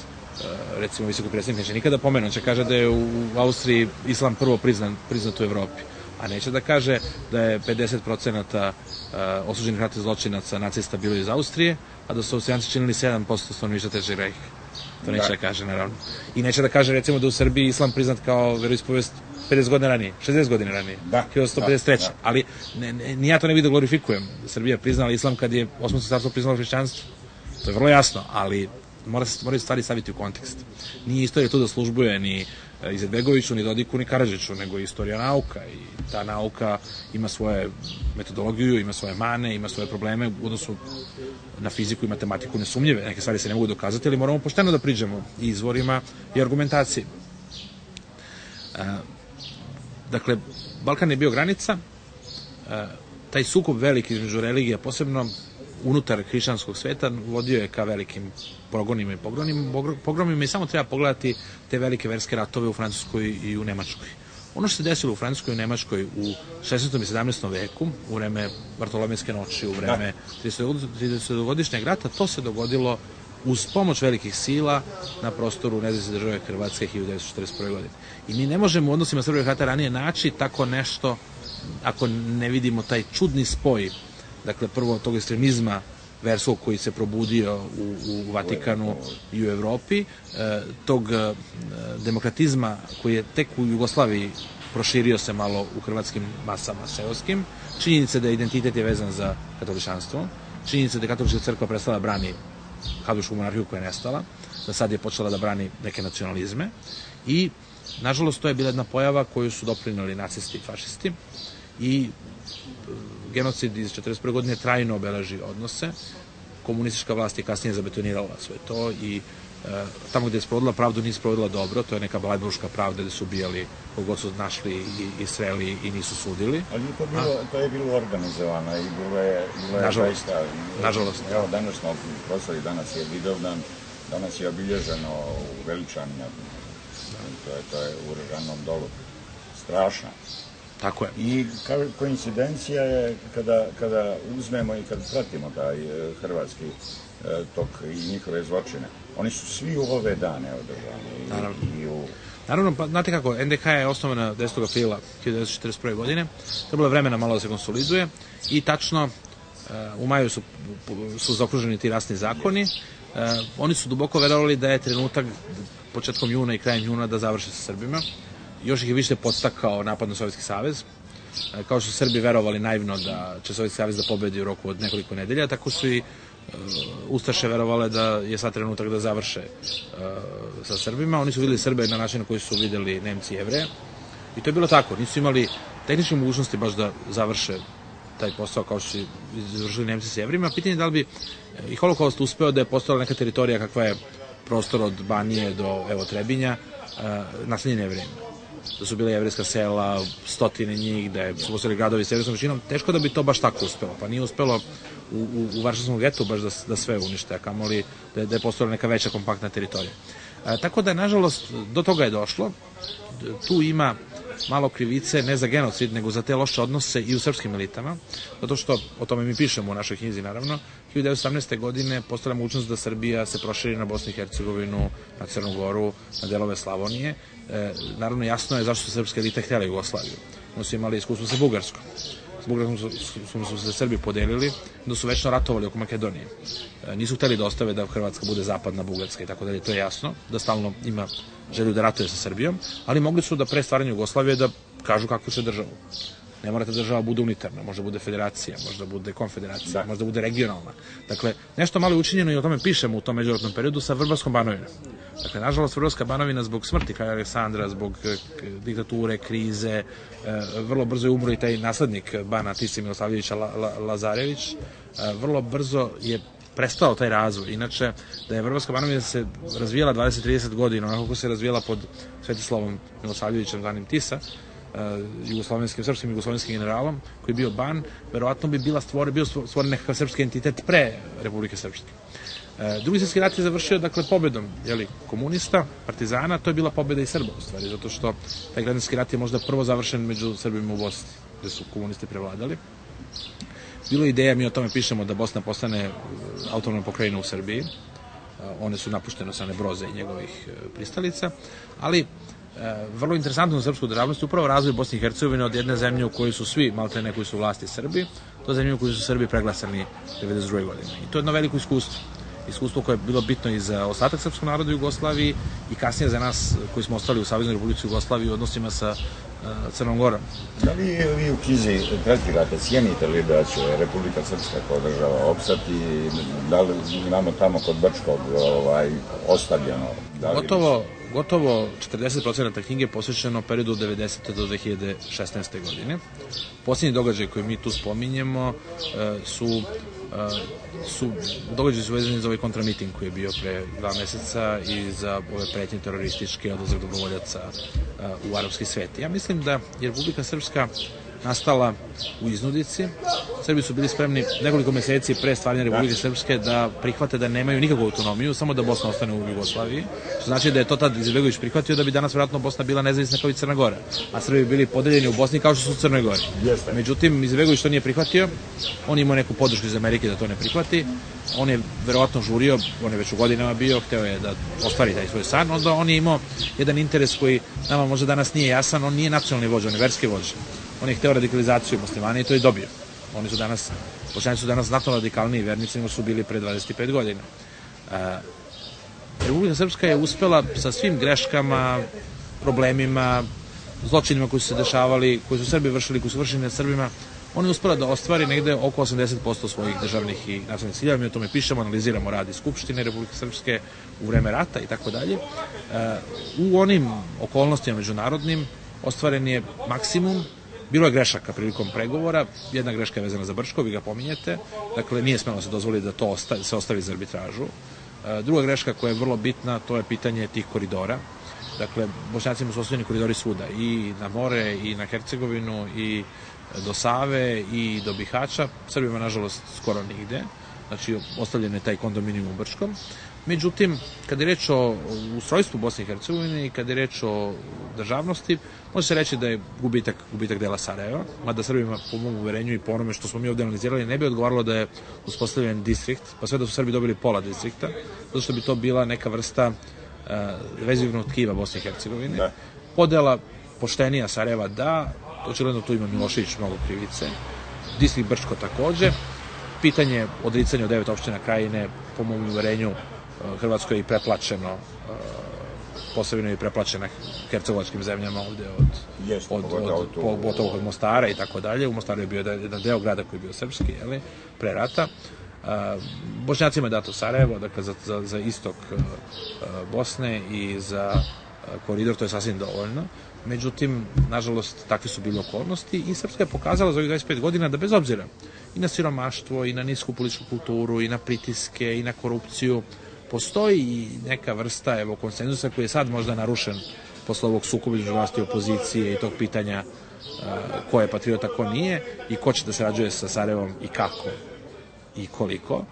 C: recimo visoki predsjednik neće nikada pomenu, on će kaže da je u Austriji islam prvo priznan, priznat u Evropi, a neće da kaže da je pedeset procenata osuđenih ratnih zločinaca nacista bilo iz Austrije, a da su Austrijanci činili sedam posto stanovništva Trećeg rejha. To neće da. da kaže, naravno. I neće da kaže, recimo, da u Srbiji islam priznat kao veroispovest pedeset godina ranije, šezdeset godina ranije,
B: da,
C: hiljadu sto pedeset treće. Da, da. Ali ne, ne, ni ja to ne vidim da glorifikujem. Srbija priznala islam kad je Osmansko carstvo priznalo hrišćanstvo. To je vrlo jasno, ali mora se moraju stvari staviti u kontekst. Nije istorija tu da službuje ni Izetbegoviću, ni Dodiku, ni Karadžiću, nego istorija nauka, i ta nauka ima svoje metodologiju, ima svoje mane, ima svoje probleme u odnosu na fiziku i matematiku nesumnjive. Neke stvari se ne mogu dokazati, ali moramo pošteno da priđemo i izvorima i argumentaciji. Dakle, Balkan je bio granica, taj sukob veliki između religija, posebno unutar hrišćanskog sveta, vodio je ka velikim progonima i pogromima i samo treba pogledati te velike verske ratove u Francuskoj i u Nemačkoj. Ono što se desilo u Francuskoj i u Nemačkoj u šesnaestom i sedamnaestom veku, u vreme Bartolomejske noći, u vreme tridesetogodišnjeg rata, to se dogodilo uz pomoć velikih sila na prostoru nezavisne države Hrvatske hiljadu devetsto četrdeset prve. godine. I mi ne možemo u odnosima Srbije i Hrvata ranije naći tako nešto ako ne vidimo taj čudni spoj, dakle prvo tog ekstremizma verskog koji se probudio u, u Vatikanu i u Evropi, e, tog e, demokratizma koji je tek u Jugoslaviji proširio se malo u hrvatskim masama seoskim, činjenica da identitet je vezan za katoličanstvo, činjenica da je katolička crkva prestala da brani habsbursku monarhiju koja je nestala, da sad je počela da brani neke nacionalizme i, nažalost, to je bila jedna pojava koju su doprineli nacisti i fašisti i genocid iz četrdeset prve. godine trajno obeleži odnose. Komunistička vlast je kasnije zabetonirala sve to i e, tamo gde je sprovodila pravdu nije sprovodila dobro, to je neka blajburška pravda gde su ubijali kogod su našli i, i sreli i nisu sudili.
B: Ali to, bilo, to je bilo organizovano i bilo je, bilo je
C: nažalost,
B: zaista...
C: Nažalost.
B: Evo, danas smo proslavi, danas je Vidovdan, danas je obilježeno u Veličanima, to je, to je u Režanom dolu. Strašno.
C: Tako je.
B: I koincidencija je kada, kada uzmemo i kad pratimo taj hrvatski tok i njihove zločine. Oni su svi u ove dane održani.
C: Naravno.
B: I u...
C: Naravno, pa znate kako, en de ka je osnovana desetog aprila hiljadu devetsto četrdeset prve. godine. Trebalo je vremena malo da se konsoliduje i tačno u maju su, su zaokruženi ti rasni zakoni. Oni su duboko verovali da je trenutak početkom juna i krajem juna da završe sa Srbima. Još ih je više podstakao napad na Sovjetski savez. Kao što su Srbi verovali naivno da će Sovjetski savez da pobedi u roku od nekoliko nedelja, tako su i uh, Ustaše verovale da je sad trenutak da završe uh, sa Srbima. Oni su videli Srbe na način na koji su videli Nemci i Jevreje. I to je bilo tako. Nisu imali tehničke mogućnosti baš da završe taj posao kao što su izvršili Nemci s Jevrima. Pitanje je da li bi i holokaust uspeo da je postojala neka teritorija kakva je prostor od Banije do evo Trebinja, uh, naseljene Jevrejima. Da su bile jevrejska sela, stotine njih, da su postali gradovi s jevrejskom većinom, teško da bi to baš tako uspelo. Pa nije uspelo u, u, u Varšavskom getu baš da, da sve unište, a kamoli da, da je postojala neka veća kompaktna teritorija. A, tako da, nažalost, do toga je došlo. Tu ima malo krivice, ne za genocid, nego za te loše odnose i u srpskim elitama, zato što, o tome mi pišemo u našoj knjizi, naravno, hiljadu devetsto osamnaeste. godine postala mogućnost da Srbija se proširi na Bosnu i Hercegovinu, na Crnu Goru, na delove Slavonije. E, naravno, jasno je zašto su srpske elite htjela Jugoslaviju. Oni su imali iskustvo sa Bugarskom. S Bugarskom su, su, su se Srbi podelili, da su večno ratovali oko Makedonije. E, nisu htjeli da ostave da Hrvatska bude zapadna Bugarska i tako dalje, to je jasno, da stalno ima želju da ratuje sa Srbijom, ali mogli su da pre stvaranja Jugoslavije da kažu kakvu će državu. Ne morate država bude unitarna, može bude federacija, može bude konfederacija, da. Može bude regionalna. Dakle, nešto malo je učinjeno i o tome pišemo u tom međuratnom periodu sa Vrbarskom Banovinom. Dakle, nažalost, Vrbarska Banovina zbog smrti kralja Aleksandra, zbog diktature, krize, vrlo brzo je umro i taj naslednik Bana Tise Milosavljevića La, La, Lazarević, vrlo brzo je prestao taj razvoj. Inače, da je Vrbarska Banovina se razvijala dvadeset do trideset godina, onako kako se razvijala pod Svetislavom Milosavljevićem, zvanim Tisa, jugoslovenskim, srpskim jugoslovenskim generalom, koji je bio ban, verovatno bi bila stvore, bio stvoren nekakav srpski entitet pre Republike Srpske. Drugi svjetski rat je završio, dakle, pobedom, jeli, komunista, partizana, to je bila pobeda i Srba, u stvari, zato što taj građanski rat je možda prvo završen među Srbima u Bosni, gde su komunisti prevladali. Bilo je ideja, mi o tome pišemo, da Bosna postane autonomna pokrajina u Srbiji. One su napuštene od strane Broza i njegovih pristalica, ali vrlo interesantno za srpsku državnost je upravo razvoj Bosne i Hercegovine od jedne zemlje u kojoj su svi, maltene koji su vlasti Srbi, do zemlje u kojoj su Srbi preglasani devedeset druge godine. I to je jedno veliko iskustvo. Iskustvo koje je bilo bitno i za ostatak srpskog naroda u Jugoslaviji i kasnije za nas koji smo ostali u Saveznoj Republici Jugoslaviji u odnosima sa Crnom Gorom.
B: Da li vi u knjizi tretirate, cijenite li da će Republika Srpska kao država opstati, da li imamo tamo kod Brčkog ovaj, ostavljeno? Da li
C: gotovo, gotovo četrdeset procenata knjige je posvećeno periodu od devedesete do dve hiljade šesnaeste. godine. Posljednji događaj koji mi tu spominjemo su su događaji su vezani za ovaj kontramiting koji je bio pre dva meseca i za ove pretnje terorističke, odlazak dobrovoljaca u arapski svet. Ja mislim da je Republika Srpska nastala u iznudici. Srbi su bili spremni nekoliko meseci pre stvaranja Republike Srpske da prihvate da nemaju nikakvu autonomiju, samo da Bosna ostane u Jugoslaviji, što znači da je to tad Izetbegović prihvatio da bi danas vjerojatno Bosna bila nezavisna kao i Crna Gora, a Srbi bi bili podeljeni u Bosni kao što su u Crnoj Gori. Međutim, Izetbegović to nije prihvatio, on imao neku podršku iz Amerike da to ne prihvati, on je verovatno žurio, on je već u godinama bio, hteo je da ostvari taj svoj san, onda on je imao jedan interes koji nama možda danas nije jasan, on nije nacionalni vođa, on je verski vođa. On je hteo radikalizaciju muslimana i to je dobio. Oni su danas, Bošnjaci su danas znatno radikalniji vernici nego su bili pre dvadeset pet godina. E, Republika Srpska je uspela sa svim greškama, problemima, zločinima koji su se dešavali, koji su Srbi vršili, koji su vršili nad Srbima, ona je uspela da ostvari negde oko osamdeset posto svojih državnih i nacionalnih ciljeva. Mi o tome pišemo, analiziramo rad i Skupštine Republike Srpske u vreme rata i tako dalje. U onim okolnostima međunarodnim ostvaren je maksimum. Bilo je grešaka prilikom pregovora, jedna greška je vezana za Brčko, vi ga pominjete, dakle nije smelo se dozvoliti da to ostavi, se ostavi za arbitražu. Druga greška koja je vrlo bitna, to je pitanje tih koridora. Dakle, Bošnjacima su ostavljeni koridori svuda, i na more, i na Hercegovinu, i do Save, i do Bihaća, Srbima nažalost skoro nigde, znači ostavljen je taj kondominijum u Brčkom. Međutim, kada je reč o ustrojstvu Bosne i Hercegovine i kada je reč o državnosti, može se reći da je gubitak, gubitak dela Sarajeva, mada Srbima po mom uverenju i po onome što smo mi ovde analizirali ne bi odgovaralo da je uspostavljen distrikt, pa sve da su Srbi dobili pola distrikta, zato što bi to bila neka vrsta uh, vezivnog tkiva Bosne i Hercegovine. Da. Podela poštenija Sarajeva da, očigledno tu ima Milošević mnogo krivice, distrikt Brčko takođe, pitanje odricanja od devet opština Krajine, po mom uverenju, Hrvatskoj je i preplaćeno, posebno je i preplaćena hercegovačkim zemljama ovde od,
B: Jest,
C: od, od, od, od, od Mostara i tako dalje. U Mostaru je bio jedan deo grada koji je bio srpski, jeli, pre rata. Bošnjacima je dato Sarajevo, dakle za, za, za istok Bosne i za koridor, to je sasvim dovoljno. Međutim, nažalost, takve su bile okolnosti i Srpska je pokazala za ovih dvadeset pet godina da bez obzira i na siromaštvo, i na nisku političku kulturu, i na pritiske, i na korupciju, postoji i neka vrsta, evo, konsenzusa koji je sad možda narušen posle ovog sukoba između vlasti i opozicije i tog pitanja uh, ko je patriota, ko nije i ko će da sarađuje sa Sarajevom i kako i koliko. Uh,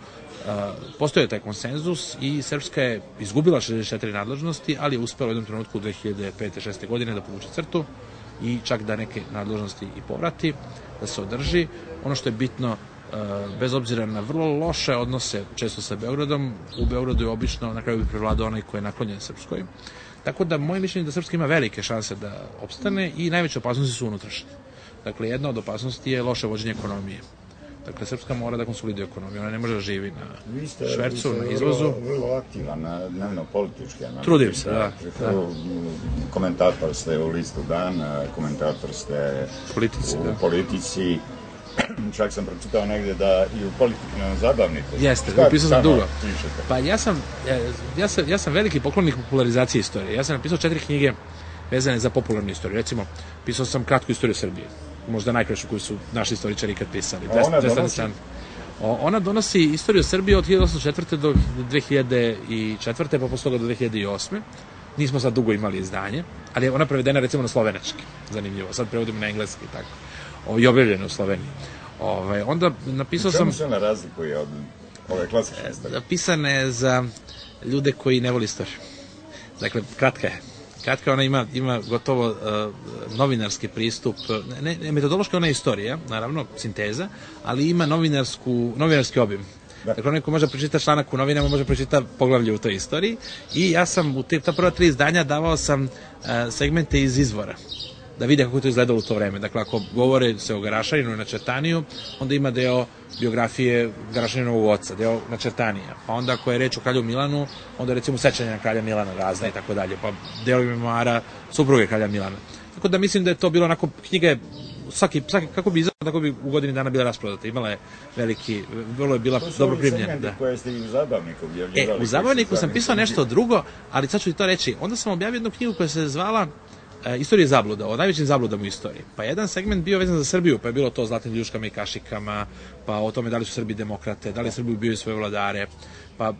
C: postoje taj konsenzus i Srpska je izgubila šezdeset četiri nadležnosti, ali je uspela u jednom trenutku u dve hiljade pete šeste. godine da povuče crtu i čak da neke nadležnosti i povrati, da se održi. Ono što je bitno, bez obzira na vrlo loše odnose često sa Beogradom, u Beogradu je obično na kraju bi prevladao onaj koji je naklonjen Srpskoj. Tako da moje mišljenje je da Srpska ima velike šanse da opstane i najveće opasnosti su unutrašnje. Dakle, jedna od opasnosti je loše vođenje ekonomije. Dakle, Srpska mora da konsoliduje ekonomiju, ona ne može da živi na
B: vi ste,
C: švercu,
B: vi ste
C: na izvozu.
B: Vrlo, vrlo aktivan, na dnevno-politički.
C: Trudim se, da. da.
B: Komentator ste u Listu Dan, komentator ste
C: politici,
B: u
C: da.
B: politici. Čak sam pročitao negde da i u politiku na zabavniku.
C: Jeste, upisao sam dugo. Pišete? Pa ja sam, ja, sam, ja sam veliki poklonik popularizacije istorije. Ja sam napisao četiri knjige vezane za popularnu istoriju. Recimo, pisao sam kratku istoriju Srbije. Možda najkraću koju su naši istoričari ikad pisali.
B: Ona donosi?
C: Ona donosi istoriju Srbije od hiljadu osamsto četvrte. do dve hiljade četvrte. pa posle toga do dve hiljade osme. nismo sad dugo imali izdanje, ali je ona prevedena recimo na slovenački, zanimljivo, sad prevodimo na engleski, tako, o, i objavljeno u Sloveniji. Ove, onda napisao sam...
B: Čemu se ona razlikuje od ove klasične istorije?
C: Pisana je za ljude koji ne voli istoriju. Dakle, kratka je. Kratka, ona ima, ima gotovo uh, novinarski pristup, ne, ne, metodološka ona je istorija, naravno, sinteza, ali ima novinarsku, novinarski obim. Da. Dakle, onaj ko može pročita članak u novinama, može pročita poglavlje u toj istoriji i ja sam u te, ta prva tri izdanja davao sam uh, segmente iz izvora, da vide kako je to izgledalo u to vreme. Dakle, ako govore se o Garašaninu i Načertaniju, onda ima deo biografije Garašaninovog oca, deo Načertanija. Pa onda ako je reč o kralju Milanu, onda recimo sećanja na kralja Milana razne i tako dalje. Pa deo memoara supruge kralja Milana. Tako da mislim da je to bilo onako, knjiga je svaki, svaki, kako bi izašla, tako bi u godini dana bila rasprodata. Imala je veliki, vrlo je bila dobro primljena. Da.
B: Koje ste i u Zabavniku objavljivali.
C: E, u Zabavniku sam pisao nešto drugo, ali sad ću ti to reći. Onda sam objavio jednu knjigu koja se zvala E, istorije zabluda, o najvećim zabludama u istoriji. Pa jedan segment bio vezan za Srbiju, pa je bilo to o zlatnim ljuškama i kašikama, pa o tome da li su Srbi demokrate, da li Srbi ubijaju svoje vladare, pa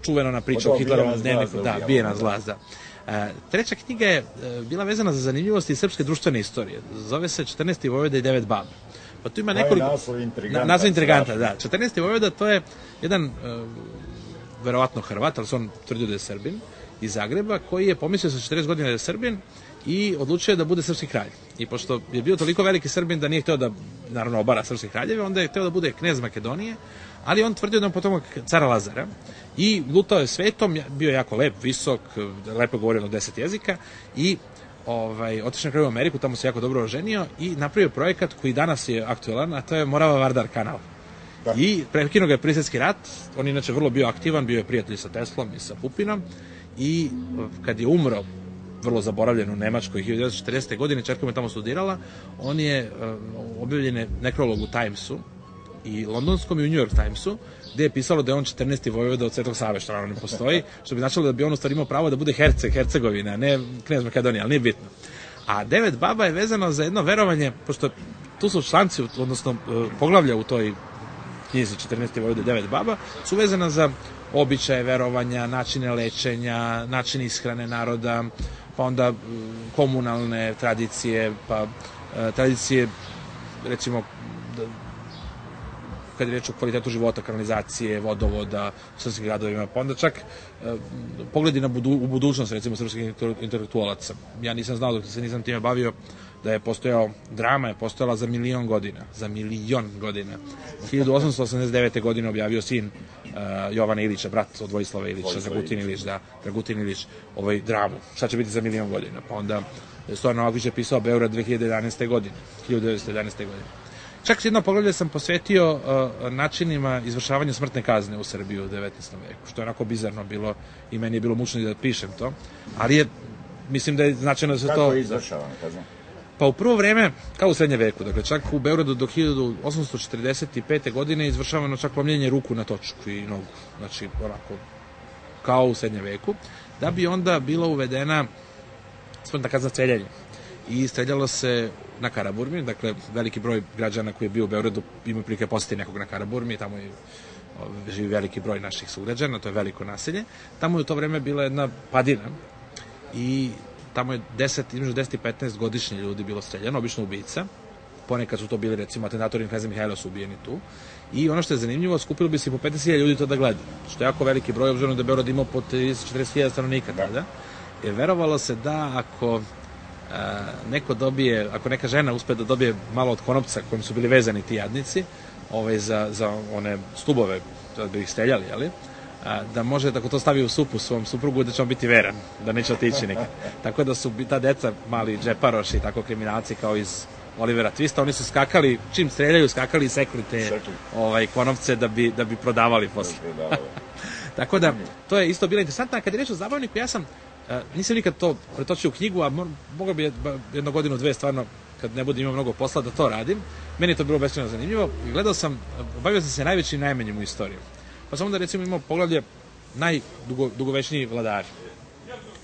C: čuvena na priča o Hitlerovom dnevniku, da, bijena zlaz, da. E, treća knjiga je e, bila vezana za zanimljivosti srpske društvene istorije. Zove se četrnaesti vojvoda i devet baba. Pa tu ima nekoliko...
B: Naslov intriganta.
C: Naslov intriganta, da. četrnaesti vojvoda to je jedan, e, verovatno Hrvat, ali se on tvrdio da je Srbin, iz Zagreba, koji je pomislio sa četrdeset godina da je Srbin i odlučio da bude srpski kralj. I pošto je bio toliko veliki Srbin da nije hteo da, naravno, obara srpske kraljeve, onda je hteo da bude knez Makedonije, ali on tvrdio da je potomak cara Lazara i lutao je svetom, bio je jako lep, visok, lepo govorio na deset jezika i ovaj, otišao na kraju u Ameriku, tamo se jako dobro oženio i napravio projekat koji danas je aktualan, a to je Morava-Vardar kanal. Da. I prekinuo ga je Prvi svjetski rat, on je inače vrlo bio aktivan, bio je prijatelj sa Teslom i sa Pupinom i kad je umro, vrlo zaboravljen u Nemačkoj, hiljadu devetsto četrdesete. godine, čerka mu je tamo studirala, on je uh, objavljen je nekrolog u Timesu, i londonskom i u New York Timesu, gde je pisalo da je on četrnaesti vojvoda od Svetog Save, što naravno ne postoji, što bi značilo da bi on u stvari imao pravo da bude Herceg, Hercegovina, ne knez Makedonija, ali nije bitno. A devet baba je vezano za jedno verovanje, pošto tu su članci, odnosno uh, poglavlja u toj knjizi četrnaesti vojvoda i devet baba, su vezana za običaje, verovanja, načine lečenja, načine ishrane naroda, pa onda komunalne tradicije, pa e, tradicije, recimo, da, kad je reč o kvalitetu života, kanalizacije, vodovoda, u srpskim gradovima, pa onda čak e, pogledi na budu, u budućnost, recimo, srpskih intelektualaca. Ja nisam znao, dok se nisam time bavio, da je postojao, drama je postojala za milion godina, za milion godina. hiljadu osamsto osamdeset devete. godine objavio sin uh, Jovana Ilića, brat od Vojislava Ilića, Dragutin Ilić, da, Dragutin Ilić, ovaj dramu. Šta će biti za milion godina? Pa onda Stojan Novaković je pisao Beograd dve hiljade jedanaeste. godine, hiljadu devetsto jedanaeste. godine. Čak jedno poglavlje sam posvetio uh, načinima izvršavanja smrtne kazne u Srbiji u devetnaestom veku, što je onako bizarno bilo i meni je bilo mučno da pišem to, ali je, mislim da je značajno da se to...
B: Kako je izvršavano kazna?
C: Pa u prvo vreme, kao u srednje veku, dakle čak u Beogradu do hiljadu osamsto četrdeset pete. godine izvršavano čak lomljenje ruku na točku i nogu, znači onako kao u srednje veku, da bi onda bila uvedena smrtna kazna streljanje. I streljalo se na Karaburmi, dakle veliki broj građana koji je bio u Beogradu ima prilike posjeti nekog na Karaburmi, tamo je živi veliki broj naših sugrađana, to je veliko naselje. Tamo je u to vreme bila jedna padina i tamo je deset, između deset i petnaest godišnji ljudi bilo streljano, obično ubica. Ponekad su to bili, recimo, atentatori Kneza Mihajla su ubijeni tu. I ono što je zanimljivo, skupilo bi se po pedeset hiljada ljudi to da gleda. Što je jako veliki broj, obzirom da je Beograd imao po trideset do četrdeset hiljada stanovnika tada. Jer verovalo se da ako a, neko dobije, ako neka žena uspe da dobije malo od konopca kojim su bili vezani ti jadnici, ovaj, za, za one stubove, da bi ih streljali, jeli? A, da može, tako to stavi u supu svom suprugu, da će on biti veran, da neće otići nikad. Tako da su ta deca, mali džeparoši, tako kriminalci kao iz Olivera Twista, oni su skakali, čim streljaju, skakali i sekli te ovaj, konopce da bi, da bi prodavali posle. Tako da, to je isto bilo interesantno. A kad je reč o Zabavniku, ja sam, uh, nisam nikad to pretočio u knjigu, a mogao bi jednu godinu, dve, stvarno, kad ne bude imao mnogo posla, da to radim. Meni je to bilo beskrajno zanimljivo. Gledao sam, bavio sam se najvećim i najmanjim u istoriju. Pa sam onda, recimo, imao poglavlje najdugovečniji vladari.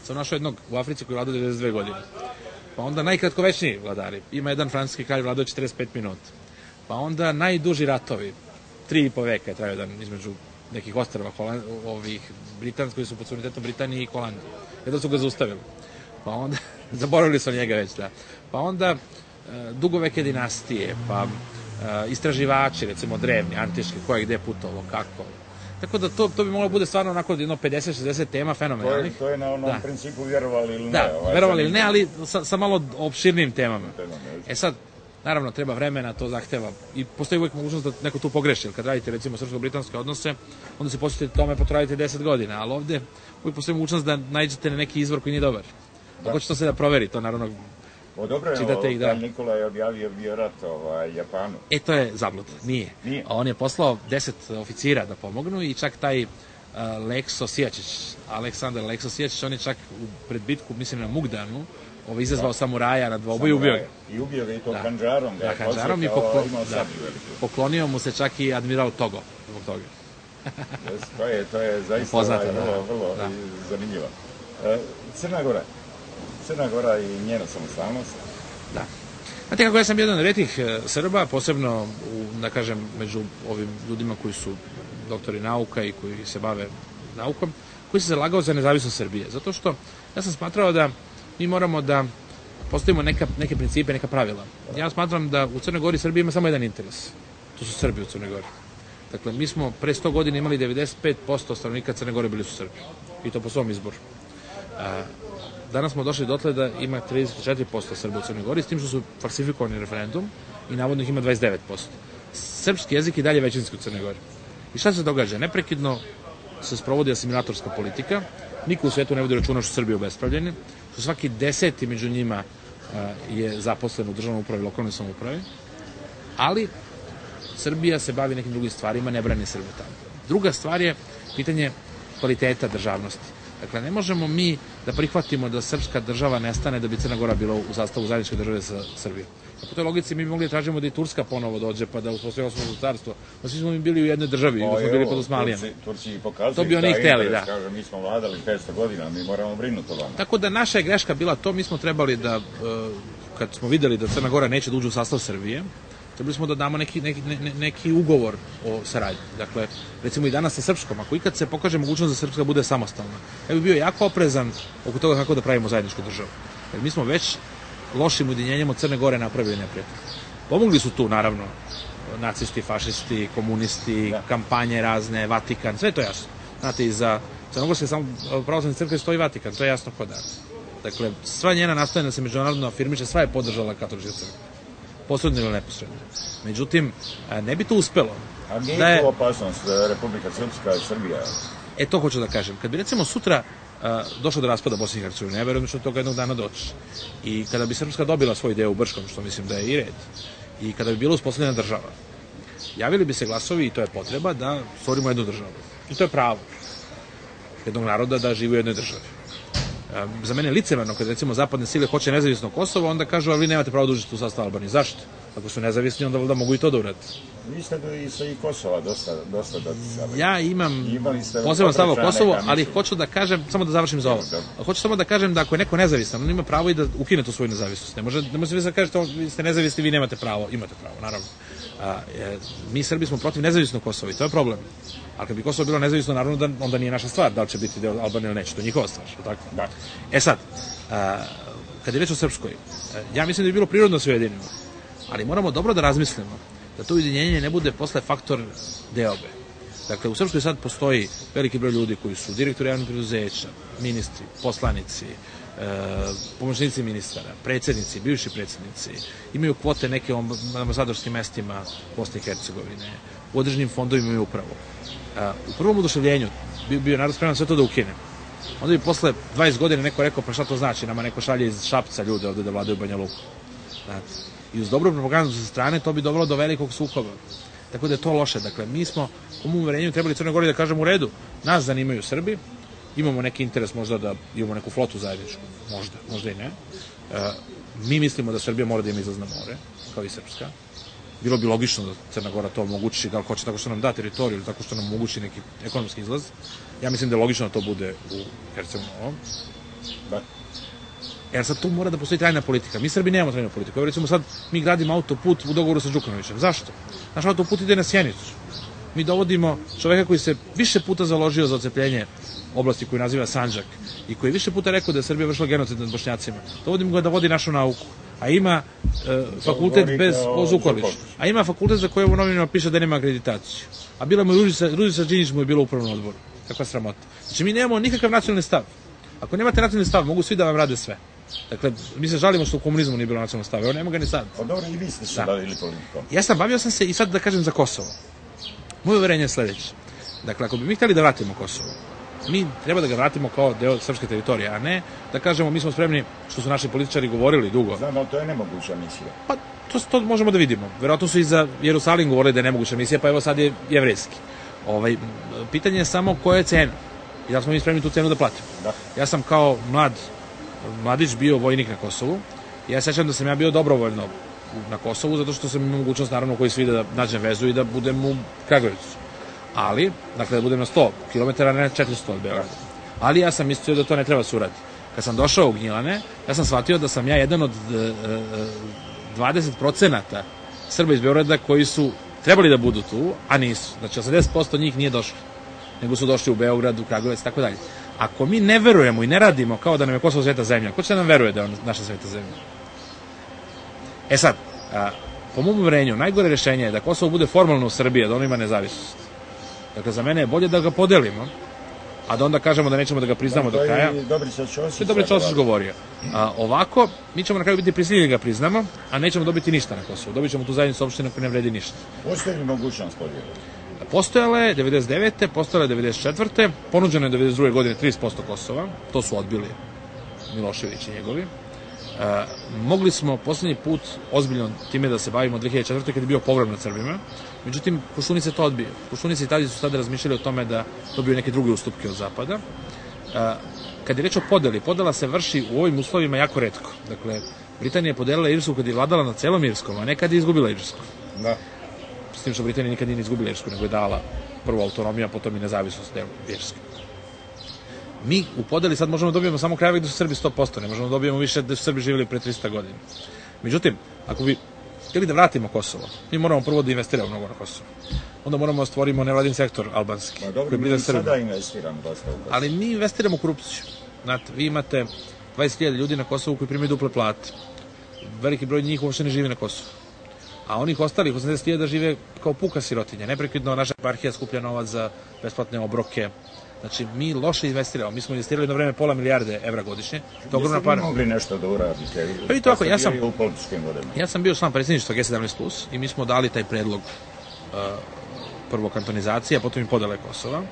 C: Sam našao jednog u Africi koji vladao devedeset dve godine. Pa onda najkratkovečniji vladari. Ima jedan francuski kralj vladao četrdeset pet minuta. Pa onda najduži ratovi. Tri i po veka je trajao jedan između nekih ostrava ovih Britanskih koji su pod suverenitetom Britanije i Holandije. Jedno su ga zaustavili. Pa onda, zaboravili su njega već, da. Pa onda dugoveke dinastije, pa istraživači, recimo drevni, antički, ko je gde putovalo, kako. Tako da to, to bi moglo bude stvarno onako jedno pedeset šezdeset tema fenomenalnih.
B: To je, to je na onom da. principu vjerovali ili ne.
C: Da, ovaj, verovali ili ne, ali sa, sa malo opširnim temama. E sad, naravno, treba vremena, to zahteva. I postoji uvijek mogućnost da neko tu pogreši. Kad radite, recimo, srpsko-britanske odnose, onda se posjetite tome, potradite deset godina, ali ovde uvijek postoji mogućnost da nađete na neki izvor koji nije dobar. Da. Ako će to se da proveri, to naravno
B: O, dobro je, čitate ih, da. Nikola je objavio bio rat ovaj, Japanu.
C: E, to je zabluda, nije. nije. On je poslao deset oficira da pomognu i čak taj uh, Lekso Sijačić, Aleksandar Lekso Sijačić, on je čak u predbitku, mislim na Mugdanu, ovaj, izazvao da. samuraja na dvoboj i ubio ga.
B: I ubio ga i to da. Handžarom.
C: Da, Handžarom i poklo... da. poklonio mu se čak i admiral Togo zbog toga.
B: Yes, to, je, to je zaista Poznata, vrlo, da. vrlo da. zanimljivo. E, Crna Gora. Crna Gora i njena samostalnost.
C: Da. Znate kako, ja sam jedan od retih Srba, posebno, u, da kažem, među ovim ljudima koji su doktori nauka i koji se bave naukom, koji se zalagao za nezavisnost Srbije. Zato što ja sam smatrao da mi moramo da postavimo neka, neke principe, neka pravila. Ja smatram da u Crnoj Gori Srbija ima samo jedan interes. To su Srbi u Crnoj Gori. Dakle, mi smo pre sto godina imali devedeset pet posto stanovnika Crne Gore bili su Srbi. I to po svom izboru. A, Danas smo došli dotle da ima trideset četiri posto Srba u Crnoj Gori, s tim što su falsifikovani referendum i navodno ih ima dvadeset devet posto. Srpski jezik i dalje većinski u Crnoj Gori. I šta se događa? Neprekidno se sprovodi asimilatorska politika, niko u svetu ne vodi računa što su Srbi obespravljeni, što svaki deseti među njima a, je zaposlen u državnoj upravi i lokalnoj samoupravi, ali Srbija se bavi nekim drugim stvarima, ne brani Srbe tamo. Druga stvar je pitanje kvaliteta državnosti. Dakle, ne možemo mi da prihvatimo da srpska država nestane da bi Crna Gora bila u sastavu zajedničke države sa Srbijom. Po toj logici mi bi mogli da tražimo da i Turska ponovo dođe pa da uspostavi osnovno carstvo. No, svi smo mi bili u jednoj državi, o, smo bili pod Osmanlijama.
B: Turci, Turci pokazuju
C: to bi oni hteli, da.
B: Kažu, mi smo vladali petsto godina, mi moramo brinuti o vama.
C: Tako da naša je greška bila to, mi smo trebali da, kad smo videli da Crna Gora neće da uđe u sastav Srbije, trebali smo da damo neki, neki, ne, neki ugovor o saradnji. Dakle, recimo i danas sa Srpskom, ako ikad se pokaže mogućnost da Srpska bude samostalna, ja bih bio jako oprezan oko toga kako da pravimo zajedničku državu. Jer mi smo već lošim ujedinjenjem od Crne Gore napravili neprijatelj. Pomogli su tu, naravno, nacisti, fašisti, komunisti, da. kampanje razne, Vatikan, sve to jasno. Znate, i za Crnogorske pravoslavne crkve stoji Vatikan, to je jasno kod da. Dakle, sva njena nastojanja da se međunarodno afirmiše, sva je podržala katolička crkva. Posredno ili neposredno. Međutim, ne bi to uspelo.
B: A nije da je to opasnost Republika Srpska i Srbija?
C: E, to hoću da kažem. Kad bi recimo sutra a, došlo do raspada Bosne i Hercegovine, ja verujem da će od toga jednog dana doći. I kada bi Srpska dobila svoj deo u Brškom, što mislim da je i red, i kada bi bila uspostavljena država, javili bi se glasovi, i to je potreba, da stvorimo jednu državu. I to je pravo jednog naroda da živi u jednoj državi. Za mene je licemerno kad recimo zapadne sile hoće nezavisno Kosovo, onda kažu, ali vi nemate pravo da uđete u sastav Albanije. Zašto? Ako su nezavisni, onda da mogu i to da urade.
B: Vi ste i sa i Kosova dosta, dosta doticali.
C: Ja imam poseban stav o Kosovu, ali hoću da kažem, samo da završim za ovo. Hoću samo da kažem da ako je neko nezavisan, on ima pravo i da ukine tu svoju nezavisnost. Ne može, ne može vi da kažete, vi ste nezavisni, vi nemate pravo. Imate pravo, naravno. A, je, mi Srbi smo protiv nezavisnog Kosova i to je problem. Ali kad bi Kosovo bilo nezavisno, naravno, da, onda nije naša stvar, da li će biti deo Albanije ili neće, to je njihova stvar, tako?
B: Da.
C: E sad, a, kad je reč o Srpskoj, ja mislim da bi bilo prirodno sve ujedinimo, ali moramo dobro da razmislimo da to ujedinjenje ne bude posle faktor deobe. Dakle, u Srpskoj sad postoji veliki broj ljudi koji su direktori javnih preduzeća, ministri, poslanici, e, pomoćnici ministara, predsjednici, bivši predsjednici, imaju kvote neke na ambasadorskim mestima Bosne i Hercegovine, u određenim fondovima imaju upravu. E, u prvom oduševljenju bi bio narod spreman sve to da ukine. Onda bi posle dvadeset godina neko rekao, pa šta to znači, nama neko šalje iz Šapca ljude ovde da vladaju Banja Luku. Znate. I uz dobru propagandu sa strane to bi dovelo do velikog sukoba. Tako da je to loše. Dakle, mi smo u mom uverenju trebali Crnoj Gori da kažemo u redu, nas zanimaju Srbi, imamo neki interes možda da imamo neku flotu zajedničku, možda, možda i ne. E, mi mislimo da Srbija mora da ima izlaz na more, kao i Srpska. Bilo bi logično da Crna Gora to omogući, da li hoće tako što nam da teritoriju ili tako što nam omogući neki ekonomski izlaz. Ja mislim da je logično da to bude u Herceg-Novom.
B: Da.
C: Jer sad tu mora da postoji trajna politika. Mi Srbi nemamo trajnu politiku. Evo recimo sad mi gradimo autoput u dogovoru sa Đukanovićem. Zašto? Naš autoput ide na Sjenicu. mi dovodimo čoveka koji se više puta založio za ocepljenje oblasti koju naziva Sandžak i koji je više puta rekao da je Srbija vršila genocid nad Bošnjacima. Dovodimo ga da vodi našu nauku. A ima e, fakultet bez o Zukolić. A ima fakultet za koje u novinama piše da nema akreditaciju. A bila mu Ružica, Ružica Đinđić mu je bila u upravnom odboru. Kakva sramota. Znači mi nemamo nikakav nacionalni stav. Ako nemate nacionalni stav, mogu svi da vam rade sve. Dakle, mi se žalimo što u komunizmu nije bilo nacionalnog stava. Evo, nema ga ni sad.
B: Pa dobro, i vi ste se bavili politikom.
C: Ja sam bavio sam se i sad da kažem za Kosovo. Moje uverenje je sledeće. Dakle, ako bi mi hteli da vratimo Kosovo, mi treba da ga vratimo kao deo srpske teritorije, a ne da kažemo mi smo spremni, što su naši političari govorili dugo.
B: Znam, ali to je nemoguća misija.
C: Pa, to, to možemo da vidimo. Verovatno su i za Jerusalim govorili da je nemoguća misija, pa evo sad je jevrejski. Ovaj, pitanje je samo koja je cena. I da smo mi spremni tu cenu da platimo.
B: Da.
C: Ja sam kao mlad mladić bio vojnik na Kosovu. Ja sećam da sam ja bio dobrovoljno na Kosovu, zato što sam imao mogućnost, naravno, koji svi da nađem vezu i da budem u Kragujevcu. Ali, dakle, da budem na sto kilometara, ne četiristo od Beograda. Ali ja sam mislio da to ne treba se uraditi. Kad sam došao u Gnjilane, ja sam shvatio da sam ja jedan od e, dvadeset procenata Srba iz Beograda koji su trebali da budu tu, a nisu. Znači, osamdeset posto njih nije došlo, nego su došli u Beograd, u Kragujevac i tako dalje. Ako mi ne verujemo i ne radimo kao da nam je Kosovo sveta zemlja, ko će nam veruje da je naša sveta zemlja? E sad, a, po mom uverenju, najgore rešenje je da Kosovo bude formalno u Srbiji, da ono ima nezavisnost. Dakle, za mene je bolje da ga podelimo, a da onda kažemo da nećemo da ga priznamo do kraja.
B: To je Dobrica Ćosić.
C: To je Dobrica Ćosić govorio. A, ovako, mi ćemo na kraju biti prisiljeni da ga priznamo, a nećemo dobiti ništa na Kosovu. Dobit ćemo tu zajednicu opština koja ne vredi ništa.
B: Postoji li mogućnost podijela?
C: Postojala je devedeset devete. Postojala je devedeset četvrte. Ponuđeno je devedeset druge. godine trideset posto Kosova. To su odbili Milošević i njegovi. E, mogli smo poslednji put ozbiljno time da se bavimo dve hiljade četvrte. kad je bio povrat nad Srbima. Međutim, Koštunica to odbio. Koštunica i Tadić su sada razmišljali o tome da dobiju neke druge ustupke od Zapada. E, kad je reč o podeli, podela se vrši u ovim uslovima jako retko. Dakle, Britanija je podelila Irsku kad je vladala na celom Irskom, a ne kad je izgubila Irsku.
B: Da.
C: S tim što Britanija nikad nije izgubila Irsku, nego je dala prvo autonomiju, a potom i nezavisnost delu Irske. Mi u podeli sad možemo da dobijemo samo krajeve gde su Srbi sto posto, ne možemo da dobijemo više gde su Srbi živjeli pre trista godina. Međutim, ako bi htjeli da vratimo Kosovo, mi moramo prvo da investiramo mnogo na Kosovo. Onda moramo da stvorimo nevladin sektor albanski.
B: Ma dobro, mi sada investiramo dosta u Kosovo.
C: Ali mi investiramo u korupciju. Znate, vi imate dvadeset hiljada ljudi na Kosovu koji primaju duple plate. Veliki broj njih uopšte ne živi na Kosovu. A onih ostalih osamdeset hiljada žive kao puka sirotinja. Neprekidno naša eparhija skuplja novac za besplatne obroke. Znači, mi loše investiramo. Mi smo investirali na vreme pola milijarde evra godišnje. To je ogromna para.
B: Jeste vi mogli nešto da uradite?
C: Pa i to ako, ja sam,
B: u političkim vodama.
C: Ja sam bio član predsjedništva G sedamnaest plus i mi smo dali taj predlog uh, prvo kantonizacije, a potom i podele Kosova.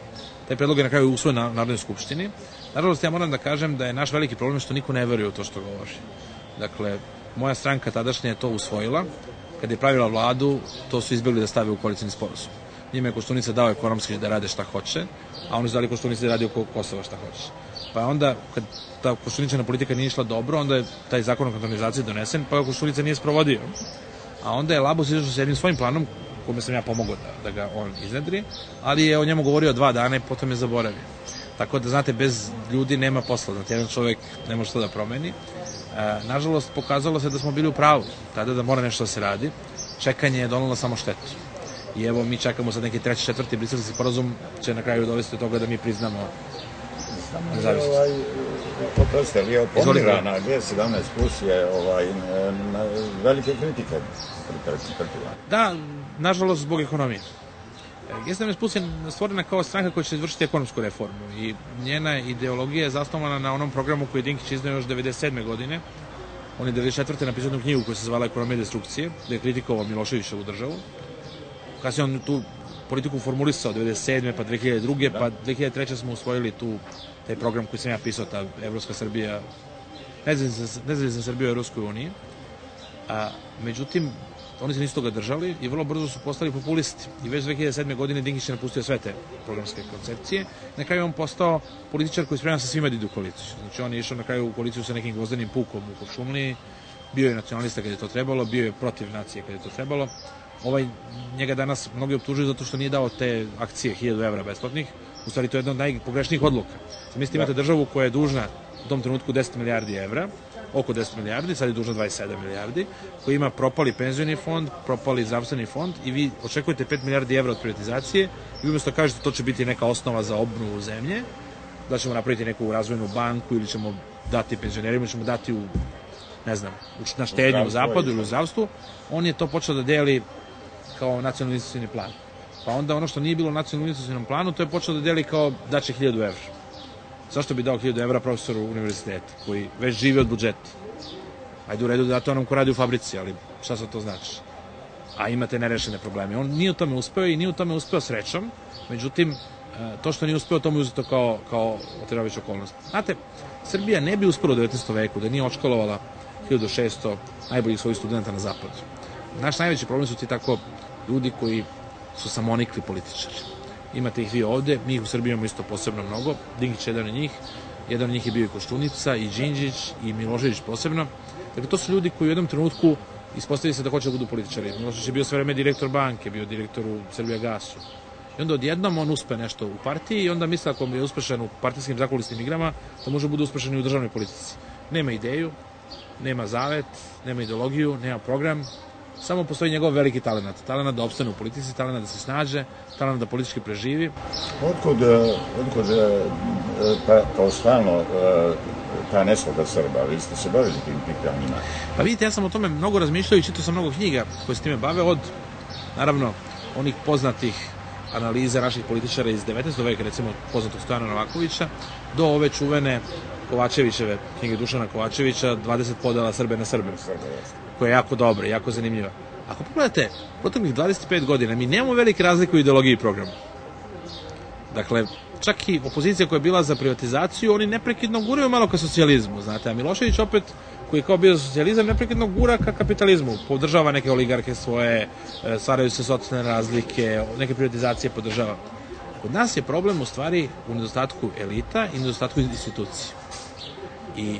C: Taj predlog je na kraju usvojen na Narodnoj skupštini. Nažalost, ja moram da kažem da je naš veliki problem što niko ne veruje u to što govori. Dakle, moja stranka tadašnja je to usvojila. Kad je pravila vladu, to su izbjegli da stave u koalicijni sporazum. Njima je Koštunica dao ekonomski da rade šta hoće, a oni su dali Koštunici da radi oko Kosova šta hoće. Pa onda, kad ta koštuničana politika nije išla dobro, onda je taj zakon o kantonizaciji donesen, pa Koštunica nije sprovodio. A onda je Labus izašao sa jednim svojim planom, kome sam ja pomogao da, da ga on iznedri, ali je o njemu govorio dva dana i potom je zaboravio. Tako da, znate, bez ljudi nema posla, znate, jedan čovjek ne može to da promeni. E, nažalost, pokazalo se da smo bili u pravu, tada da mora nešto da se radi. Čekanje je donalo samo štetu. I evo, mi čekamo sad neki treći, četvrti briselski sporazum, će na kraju dovesti do toga da mi priznamo nezavisnost.
B: Ovaj, oprostite, vi je pomirana na G sedamnaest plus je ovaj, na velike kritike pretrpila.
C: Da, nažalost, zbog ekonomije. G sedamnaest plus je stvorena kao stranka koja će izvršiti ekonomsku reformu i njena ideologija je zasnovana na onom programu koji je Dinkić iznao još devedeset sedme godine. On je devedeset četvrte napisao jednu knjigu koja se zvala Ekonomija destrukcije, gde je kritikovao Miloševićevu državu. Kasnije on tu politiku formulisao devedeset sedme pa dve hiljade druge pa dve hiljade treće smo usvojili tu taj program koji sam ja pisao, ta Evropska Srbija, nezavisna Srbija u Evropskoj uniji. A, međutim, oni se nisu toga držali i vrlo brzo su postali populisti. I već dve hiljade sedme godine Dinkić je napustio sve te programske koncepcije. Na kraju on postao političar koji sprema sa svima da ide u koaliciju. Znači on je išao na kraju u koaliciju sa nekim gvozdenim pukom u Kuršumliji, bio je nacionalista kad je to trebalo, bio je protiv nacije kad je to trebalo. Ovaj, njega danas mnogi optužuju zato što nije dao te akcije hiljadu evra besplatnih. U stvari to je jedna od najpogrešnijih odluka. Mislite, imate državu koja je dužna u tom trenutku deset milijardi evra, oko deset milijardi, sad je dužno dvadeset sedam milijardi, koji ima propali penzioni fond, propali zdravstveni fond i vi očekujete pet milijardi evra od privatizacije i umjesto kažete to će biti neka osnova za obnovu zemlje, da ćemo napraviti neku razvojnu banku ili ćemo dati penzionerima, ćemo dati u, ne znam, na štednju u zapadu ili u zdravstvu, on je to počeo da deli kao nacionalni investicioni plan. Pa onda ono što nije bilo u nacionalnom investicionom planu, to je počeo da deli kao daće hiljadu evra. Zašto bi dao hiljadu evra profesoru univerziteta, koji već živi od budžeta? Ajde u redu da to onom ko radi u fabrici, ali šta sad to znači? A imate nerešene probleme. On nije u tome uspeo i nije u tome uspeo srećom, međutim, to što nije uspeo, to mu je uzeto kao, kao oterović okolnost. Znate, Srbija ne bi uspela u devetnaestom veku da nije očkolovala hiljadu šesto najboljih svojih studenta na zapadu. Naš najveći problem su ti tako ljudi koji su samonikli političari. Imate ih vi ovde, mi ih u Srbiji imamo isto posebno mnogo, Dinkić je jedan od njih, jedan od njih je bio i Koštunica, i Đinđić, i Milošević posebno. Dakle, to su ljudi koji u jednom trenutku ispostavili se da hoće da budu političari. Milošević je bio sve vreme direktor banke, bio direktor u Srbijagasu. I onda odjednom on uspe nešto u partiji i onda misle ako je uspešan u partijskim zakulisnim igrama, da može bude uspešan i u državnoj politici. Nema ideju, nema zavet, nema ideologiju, nema program, samo postoji njegov veliki talent. Talent da opstane u politici, talent da se snađe, talent da politički preživi.
B: Otkud, otkud pa, kao stalno ta nesloga Srba? Vi ste se bavili tim pitanjima?
C: Pa vidite, ja sam o tome mnogo razmišljao i čitao sam mnogo knjiga koje se time bave, od, naravno, onih poznatih analiza naših političara iz devetnaestog veka, recimo poznatog Stojana Novakovića, do ove čuvene Kovačevićeve, knjige Dušana Kovačevića, dvadeset podela Srbe na Srbe, koja je jako dobra, jako zanimljiva. Ako pogledate, proteklih dvadeset pet godina mi nemamo velike razlike u ideologiji i programu. Dakle, čak i opozicija koja je bila za privatizaciju, oni neprekidno guraju malo ka socijalizmu, znate, a Milošević opet, koji je kao bio za socijalizam, neprekidno gura ka kapitalizmu, podržava neke oligarke svoje, stvaraju se socijalne razlike, neke privatizacije podržava. Kod nas je problem u stvari u nedostatku elita i nedostatku institucija. I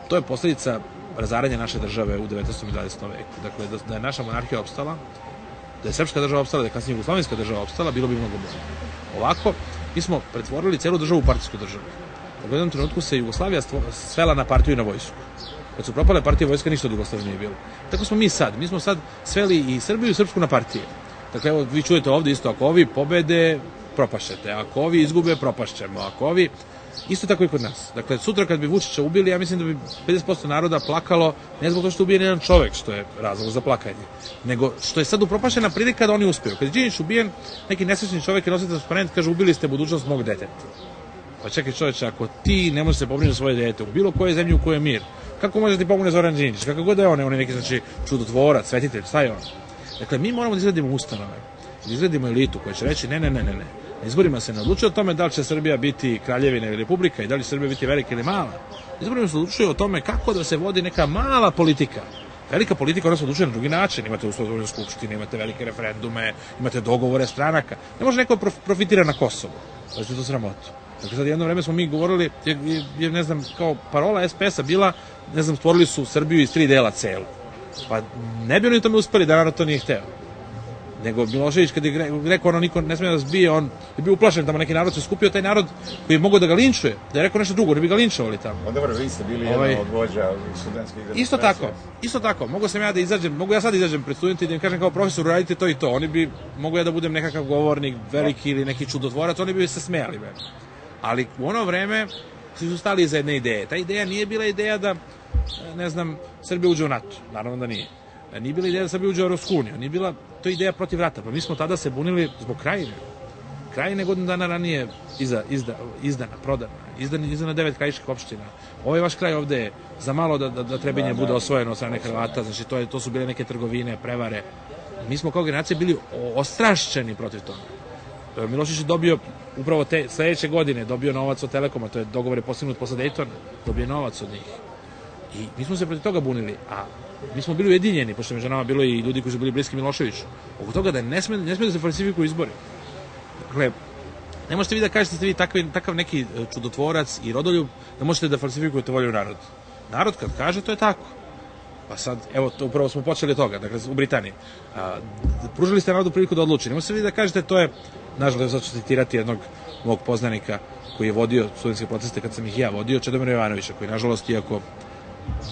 C: to je posljedica razaranja naše države u devetnaestom i dvadesetom veku. Dakle, da je naša monarhija opstala, da je srpska država opstala, da je kasnije jugoslovenska država opstala, bilo bi mnogo bolje. Ovako, mi smo pretvorili celu državu u partijsku državu. U jednom trenutku se Jugoslavija svela na partiju i na vojsku. Kad su propale partije, vojska ništa od Jugoslavije nije bilo. Tako smo mi sad. Mi smo sad sveli i Srbiju i Srpsku na partije. Dakle, evo, vi čujete ovde isto, ako ovi pobede, propašćete. Ako ovi izgube, propašćemo. Ako ovi... Isto tako i kod nas. Dakle, sutra kad bi Vučića ubili, ja mislim da bi pedeset posto naroda plakalo, ne zbog to što je ubijen jedan čovek, što je razlog za plakanje, nego što je sad upropašćena prilika da oni uspeju. Kad je Đinđić ubijen, neki nesrećni čovek je nosio transparent, kaže, ubili ste budućnost mog deteta. Pa čekaj čoveče, ako ti ne možeš se pobrinuti za svoje dete, u bilo koje zemlji u kojoj je mir, kako može ti pomogne Zoran Đinđić? Kako god da je on, on je neki, znači, čudotvorac, svetitelj, šta je on? Dakle, mi moramo da izgradimo ustanove, da izgradimo elitu koja će reći ne, ne, ne, ne, ne. Na izborima se ne odlučuje o tome da li će Srbija biti kraljevina ili republika i da li će Srbija biti velika ili mala. Na izborima se odlučuje o tome kako da se vodi neka mala politika. Velika politika, ona se odlučuje na drugi način. Imate uslovne skupštine, imate velike referendume, imate dogovore stranaka. Ne može neko profitira na Kosovu. To je to sramoto. Dakle, sad jedno vreme smo mi govorili, je, ne znam, kao parola es pe es-a bila, ne znam, stvorili su Srbiju iz tri dela celu. Pa ne bi oni tome uspeli da narod to nije hteo. Nego Milošević kad je rekao ono niko ne smije da zbije, on je bio uplašen, tamo neki narod se skupio, taj narod koji je mogao da ga linčuje, da je rekao nešto drugo, ne bi ga linčovali tamo.
B: O dobro, vi ste bili ovaj, jedan od vođa studentskih demonstracija.
C: Isto tako, isto tako, mogu sam ja da izađem, mogu ja sad izađem pred studenti i da im kažem kao profesor, radite to i to, oni bi, mogu ja da budem nekakav govornik, veliki ili neki čudotvorac, oni bi se smejali meni. Ali u ono vreme svi su stali iza jedne ideje. Ta ideja nije bila ideja da, ne znam, Srbija uđe u NATO, naravno da nije. Nije bila ideja da Srbija uđe u Evropsku uniju, nije bila to ideja protiv rata, pa mi smo tada se bunili zbog Krajine. Krajine godinu dana ranije iza, izda, izdana, prodana, izdana, izdana devet krajiških opština. Ovaj vaš kraj ovde je za malo da, da, da Trebinje bude osvojeno od strane Hrvata, znači to, je, to su bile neke trgovine, prevare. Mi smo kao generacija bili ostrašćeni protiv toga. Milošević je dobio upravo te sledeće godine, dobio novac od Telekoma, to je dogovor je postignut posle Dejtona, dobio novac od njih. I mi smo se protiv toga bunili, a mi smo bili ujedinjeni, pošto je među nama bilo i ljudi koji su bili bliski Miloševiću, oko toga da ne sme, ne sme da se falsifikuju izbori. Dakle, ne možete vi da kažete da ste vi takvi, takav neki čudotvorac i rodoljub, da možete da falsifikujete volju naroda. Narod kad kaže, to je tako. Pa sad, evo, to upravo smo počeli od toga, dakle, u Britaniji. A, pružili ste narodu priliku da odluči. Ne možete vi da kažete, to je, nažalost, sad ću citirati jednog mog poznanika koji je vodio studentske proteste kad sam ih ja vodio, Čedomira Jovanovića, koji nažalost, iako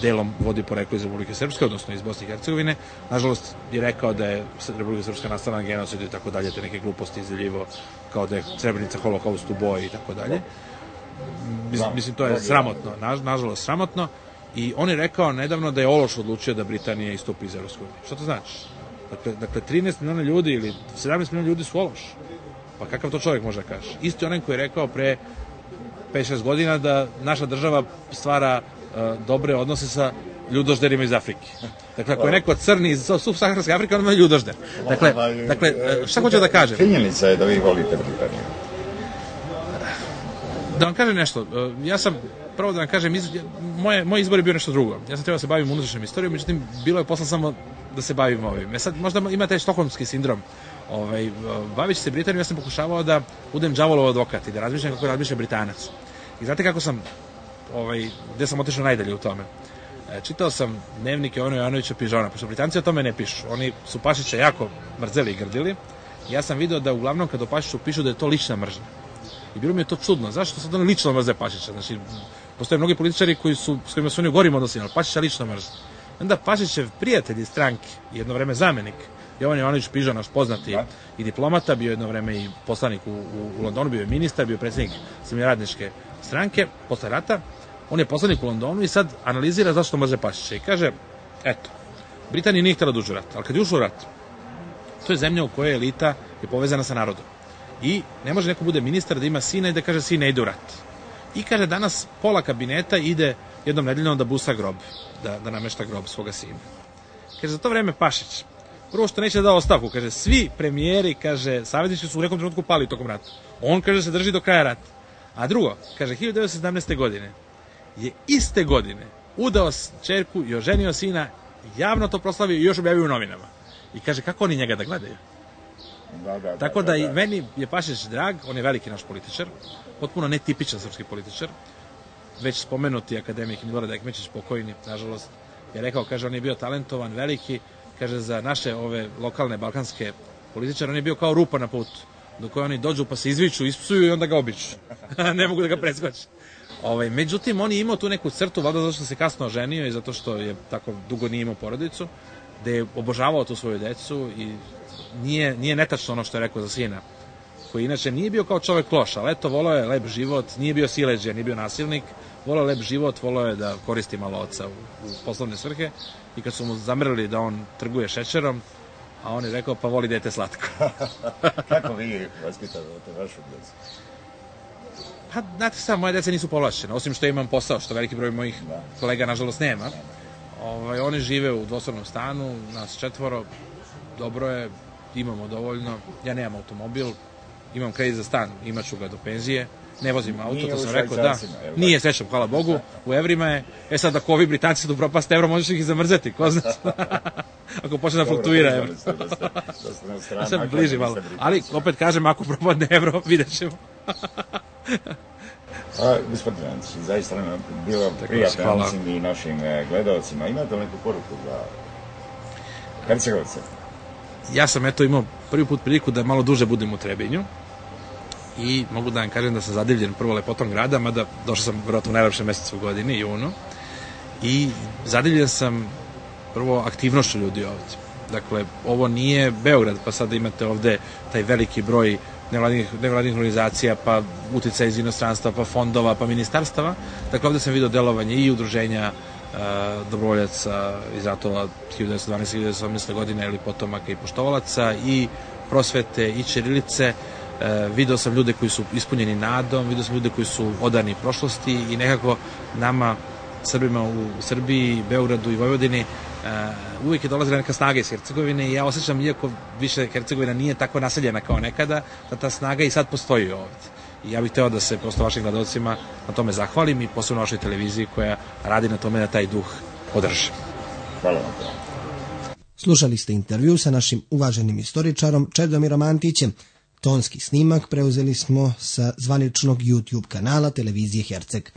C: delom vodi poreklo iz Republike Srpske, odnosno iz Bosne i Hercegovine, nažalost je rekao da je Republika Srpska nastala na genocidu i tako dalje, te neke gluposti izdeljivo, kao da je Srebrenica holokaust u boji i tako dalje. Mislim, to je sramotno, nažalost sramotno. I on je rekao nedavno da je ološ odlučio da Britanija istupi iz Evropske unije. Šta to znači? Dakle, dakle trinaest miliona ljudi ili sedamnaest miliona ljudi su ološ. Pa kakav to čovjek može da kaže? Isti onaj koji je rekao pre pet šest godina da naša država stvara uh, dobre odnose sa ljudožderima iz Afrike. Dakle, ako je neko crni iz subsaharske Afrike, on ima ljudožder. Dakle, dakle šta hoću da kažem?
B: Činjenica je da vi volite Britaniju.
C: Da vam kažem nešto, ja sam, prvo da vam kažem, iz, moje, moj izbor je bio nešto drugo. Ja sam trebao da se bavim unutrašnjom istorijom, međutim, bilo je posla samo da se bavim ovim. E sad, možda ima taj štokholmski sindrom. Ovaj, bavići se Britanijom, ja sam pokušavao da budem đavolov advokat i da razmišljam kako razmišlja Britanac. I znate kako sam, ovaj, gde sam otišao najdalje u tome? E, čitao sam dnevnike Jovana Jovanovića Pižona, pošto Britanci o tome ne pišu. Oni su Pašića jako mrzeli i grdili. Ja sam video da uglavnom kad o Pašiću pišu da je to lična mržnja. I bilo mi je to čudno. Zašto sad oni lično mrze Pašića? Znači, postoje mnogi političari koji su, s kojima su oni u gorim odnosima, ali Pašića lično mrze. Onda Pašićev prijatelj iz stranke, jedno vreme zamenik, Jovan Jovanović Pižo, naš poznati da. i diplomata, bio jedno vreme i poslanik u, u, u Londonu, bio je ministar, bio je predsjednik Srednjoradničke stranke, posle rata. On je poslanik u Londonu i sad analizira zašto mrze Pašića. I kaže, eto, Britanija nije htjela da uđe u rat, ali kad je ušao u rat, to je zemlja u kojoj elita je povezana sa narodom. I ne može neko bude ministar da ima sina i da kaže sin ne ide u rat. I kaže danas pola kabineta ide jednom nedeljnom da busa grob, da, da namešta grob svoga sina. Kaže za to vreme Pašić, prvo što neće da da ostavku, kaže svi premijeri, kaže saveznici su u nekom trenutku pali tokom rata. On kaže se drži do kraja rata. A drugo, kaže hiljadu devetsto sedamnaeste. godine je iste godine udao ćerku i oženio sina, javno to proslavio i još objavio u novinama. I kaže kako oni njega da gledaju? Da, da, Tako da, da, da i meni je Pašić drag, on je veliki naš političar, potpuno netipičan srpski političar, već spomenuti akademik Milorad Ekmečić, pokojni, nažalost, je rekao, kaže, on je bio talentovan, veliki, kaže, za naše ove lokalne balkanske političare, on je bio kao rupa na putu, do koje oni dođu pa se izviču, ispsuju i onda ga običu. Ne mogu da ga preskoče. Ovaj, međutim, on je imao tu neku crtu, valjda zato što se kasno oženio i zato što je tako dugo nije imao porodicu, da je obožavao tu svoju decu i Nije, nije netačno ono što je rekao za sina, koji inače nije bio kao čovek loš, ali eto, volao je lep život, nije bio sileđija, nije bio nasilnik, volao je lep život, volao je da koristi malo oca u, u poslovne svrhe i kad su mu zamrli da on trguje šećerom, a on je rekao, pa voli dete slatko.
B: Kako vi vaspitavate vašu djecu?
C: Pa, znate sam, moje dece nisu povlašćene, osim što imam posao, što veliki broj mojih da. kolega, nažalost, nema. Ovaj, oni žive u dvosobnom stanu, nas četvoro, dobro je, imamo dovoljno, ja nemam automobil, imam kredit za stan, imat ću ga do penzije, ne vozim auto, nije to sam rekao, da, nije srećom, hvala Bogu, u evrima je, e sad ako ovi Britanci da upropaste evro, možeš ih i zamrzeti, ko zna, ako počne da fluktuira evro. Ja sam bliži malo, ali opet kažem, ako propadne evro, vidjet ćemo.
B: A, gospodin Antić, zaista nam je bilo prijatno, mislim i našim gledalcima, imate li neku poruku za Hercegovce?
C: Ja sam eto imao prvi put priliku da malo duže budem u Trebinju i mogu da vam kažem da sam zadivljen prvo lepotom grada, mada došao sam vjerojatno u najlepšem mesecu u godini, junu, i zadivljen sam prvo aktivnošću ljudi ovdje. Dakle, ovo nije Beograd, pa sada imate ovde taj veliki broj nevladinih, nevladinih organizacija, pa uticaj iz inostranstva, pa fondova, pa ministarstava. Dakle, ovde sam vidio delovanje i udruženja Uh, dobrovoljaca iz ratova hiljadu devetsto dvanaeste do hiljadu devetsto osamnaeste. godine ili potomaka i poštovalaca i prosvete i ćirilice. Uh, video sam ljude koji su ispunjeni nadom, video sam ljude koji su odani prošlosti i nekako nama, Srbima u Srbiji, Beogradu i Vojvodini, uh, uvijek je dolazila neka snaga iz Hercegovine i ja osjećam, iako više Hercegovina nije tako naseljena kao nekada, da ta snaga i sad postoji ovdje. I ja bih hteo da se prosto vašim gledalcima na tome zahvalim i posebno vašoj televiziji koja radi na tome da taj duh održi.
B: Hvala vam.
A: Slušali ste intervju sa našim uvaženim istoričarom Čedomirom Antićem. Tonski snimak preuzeli smo sa zvaničnog YouTube kanala televizije Herceg.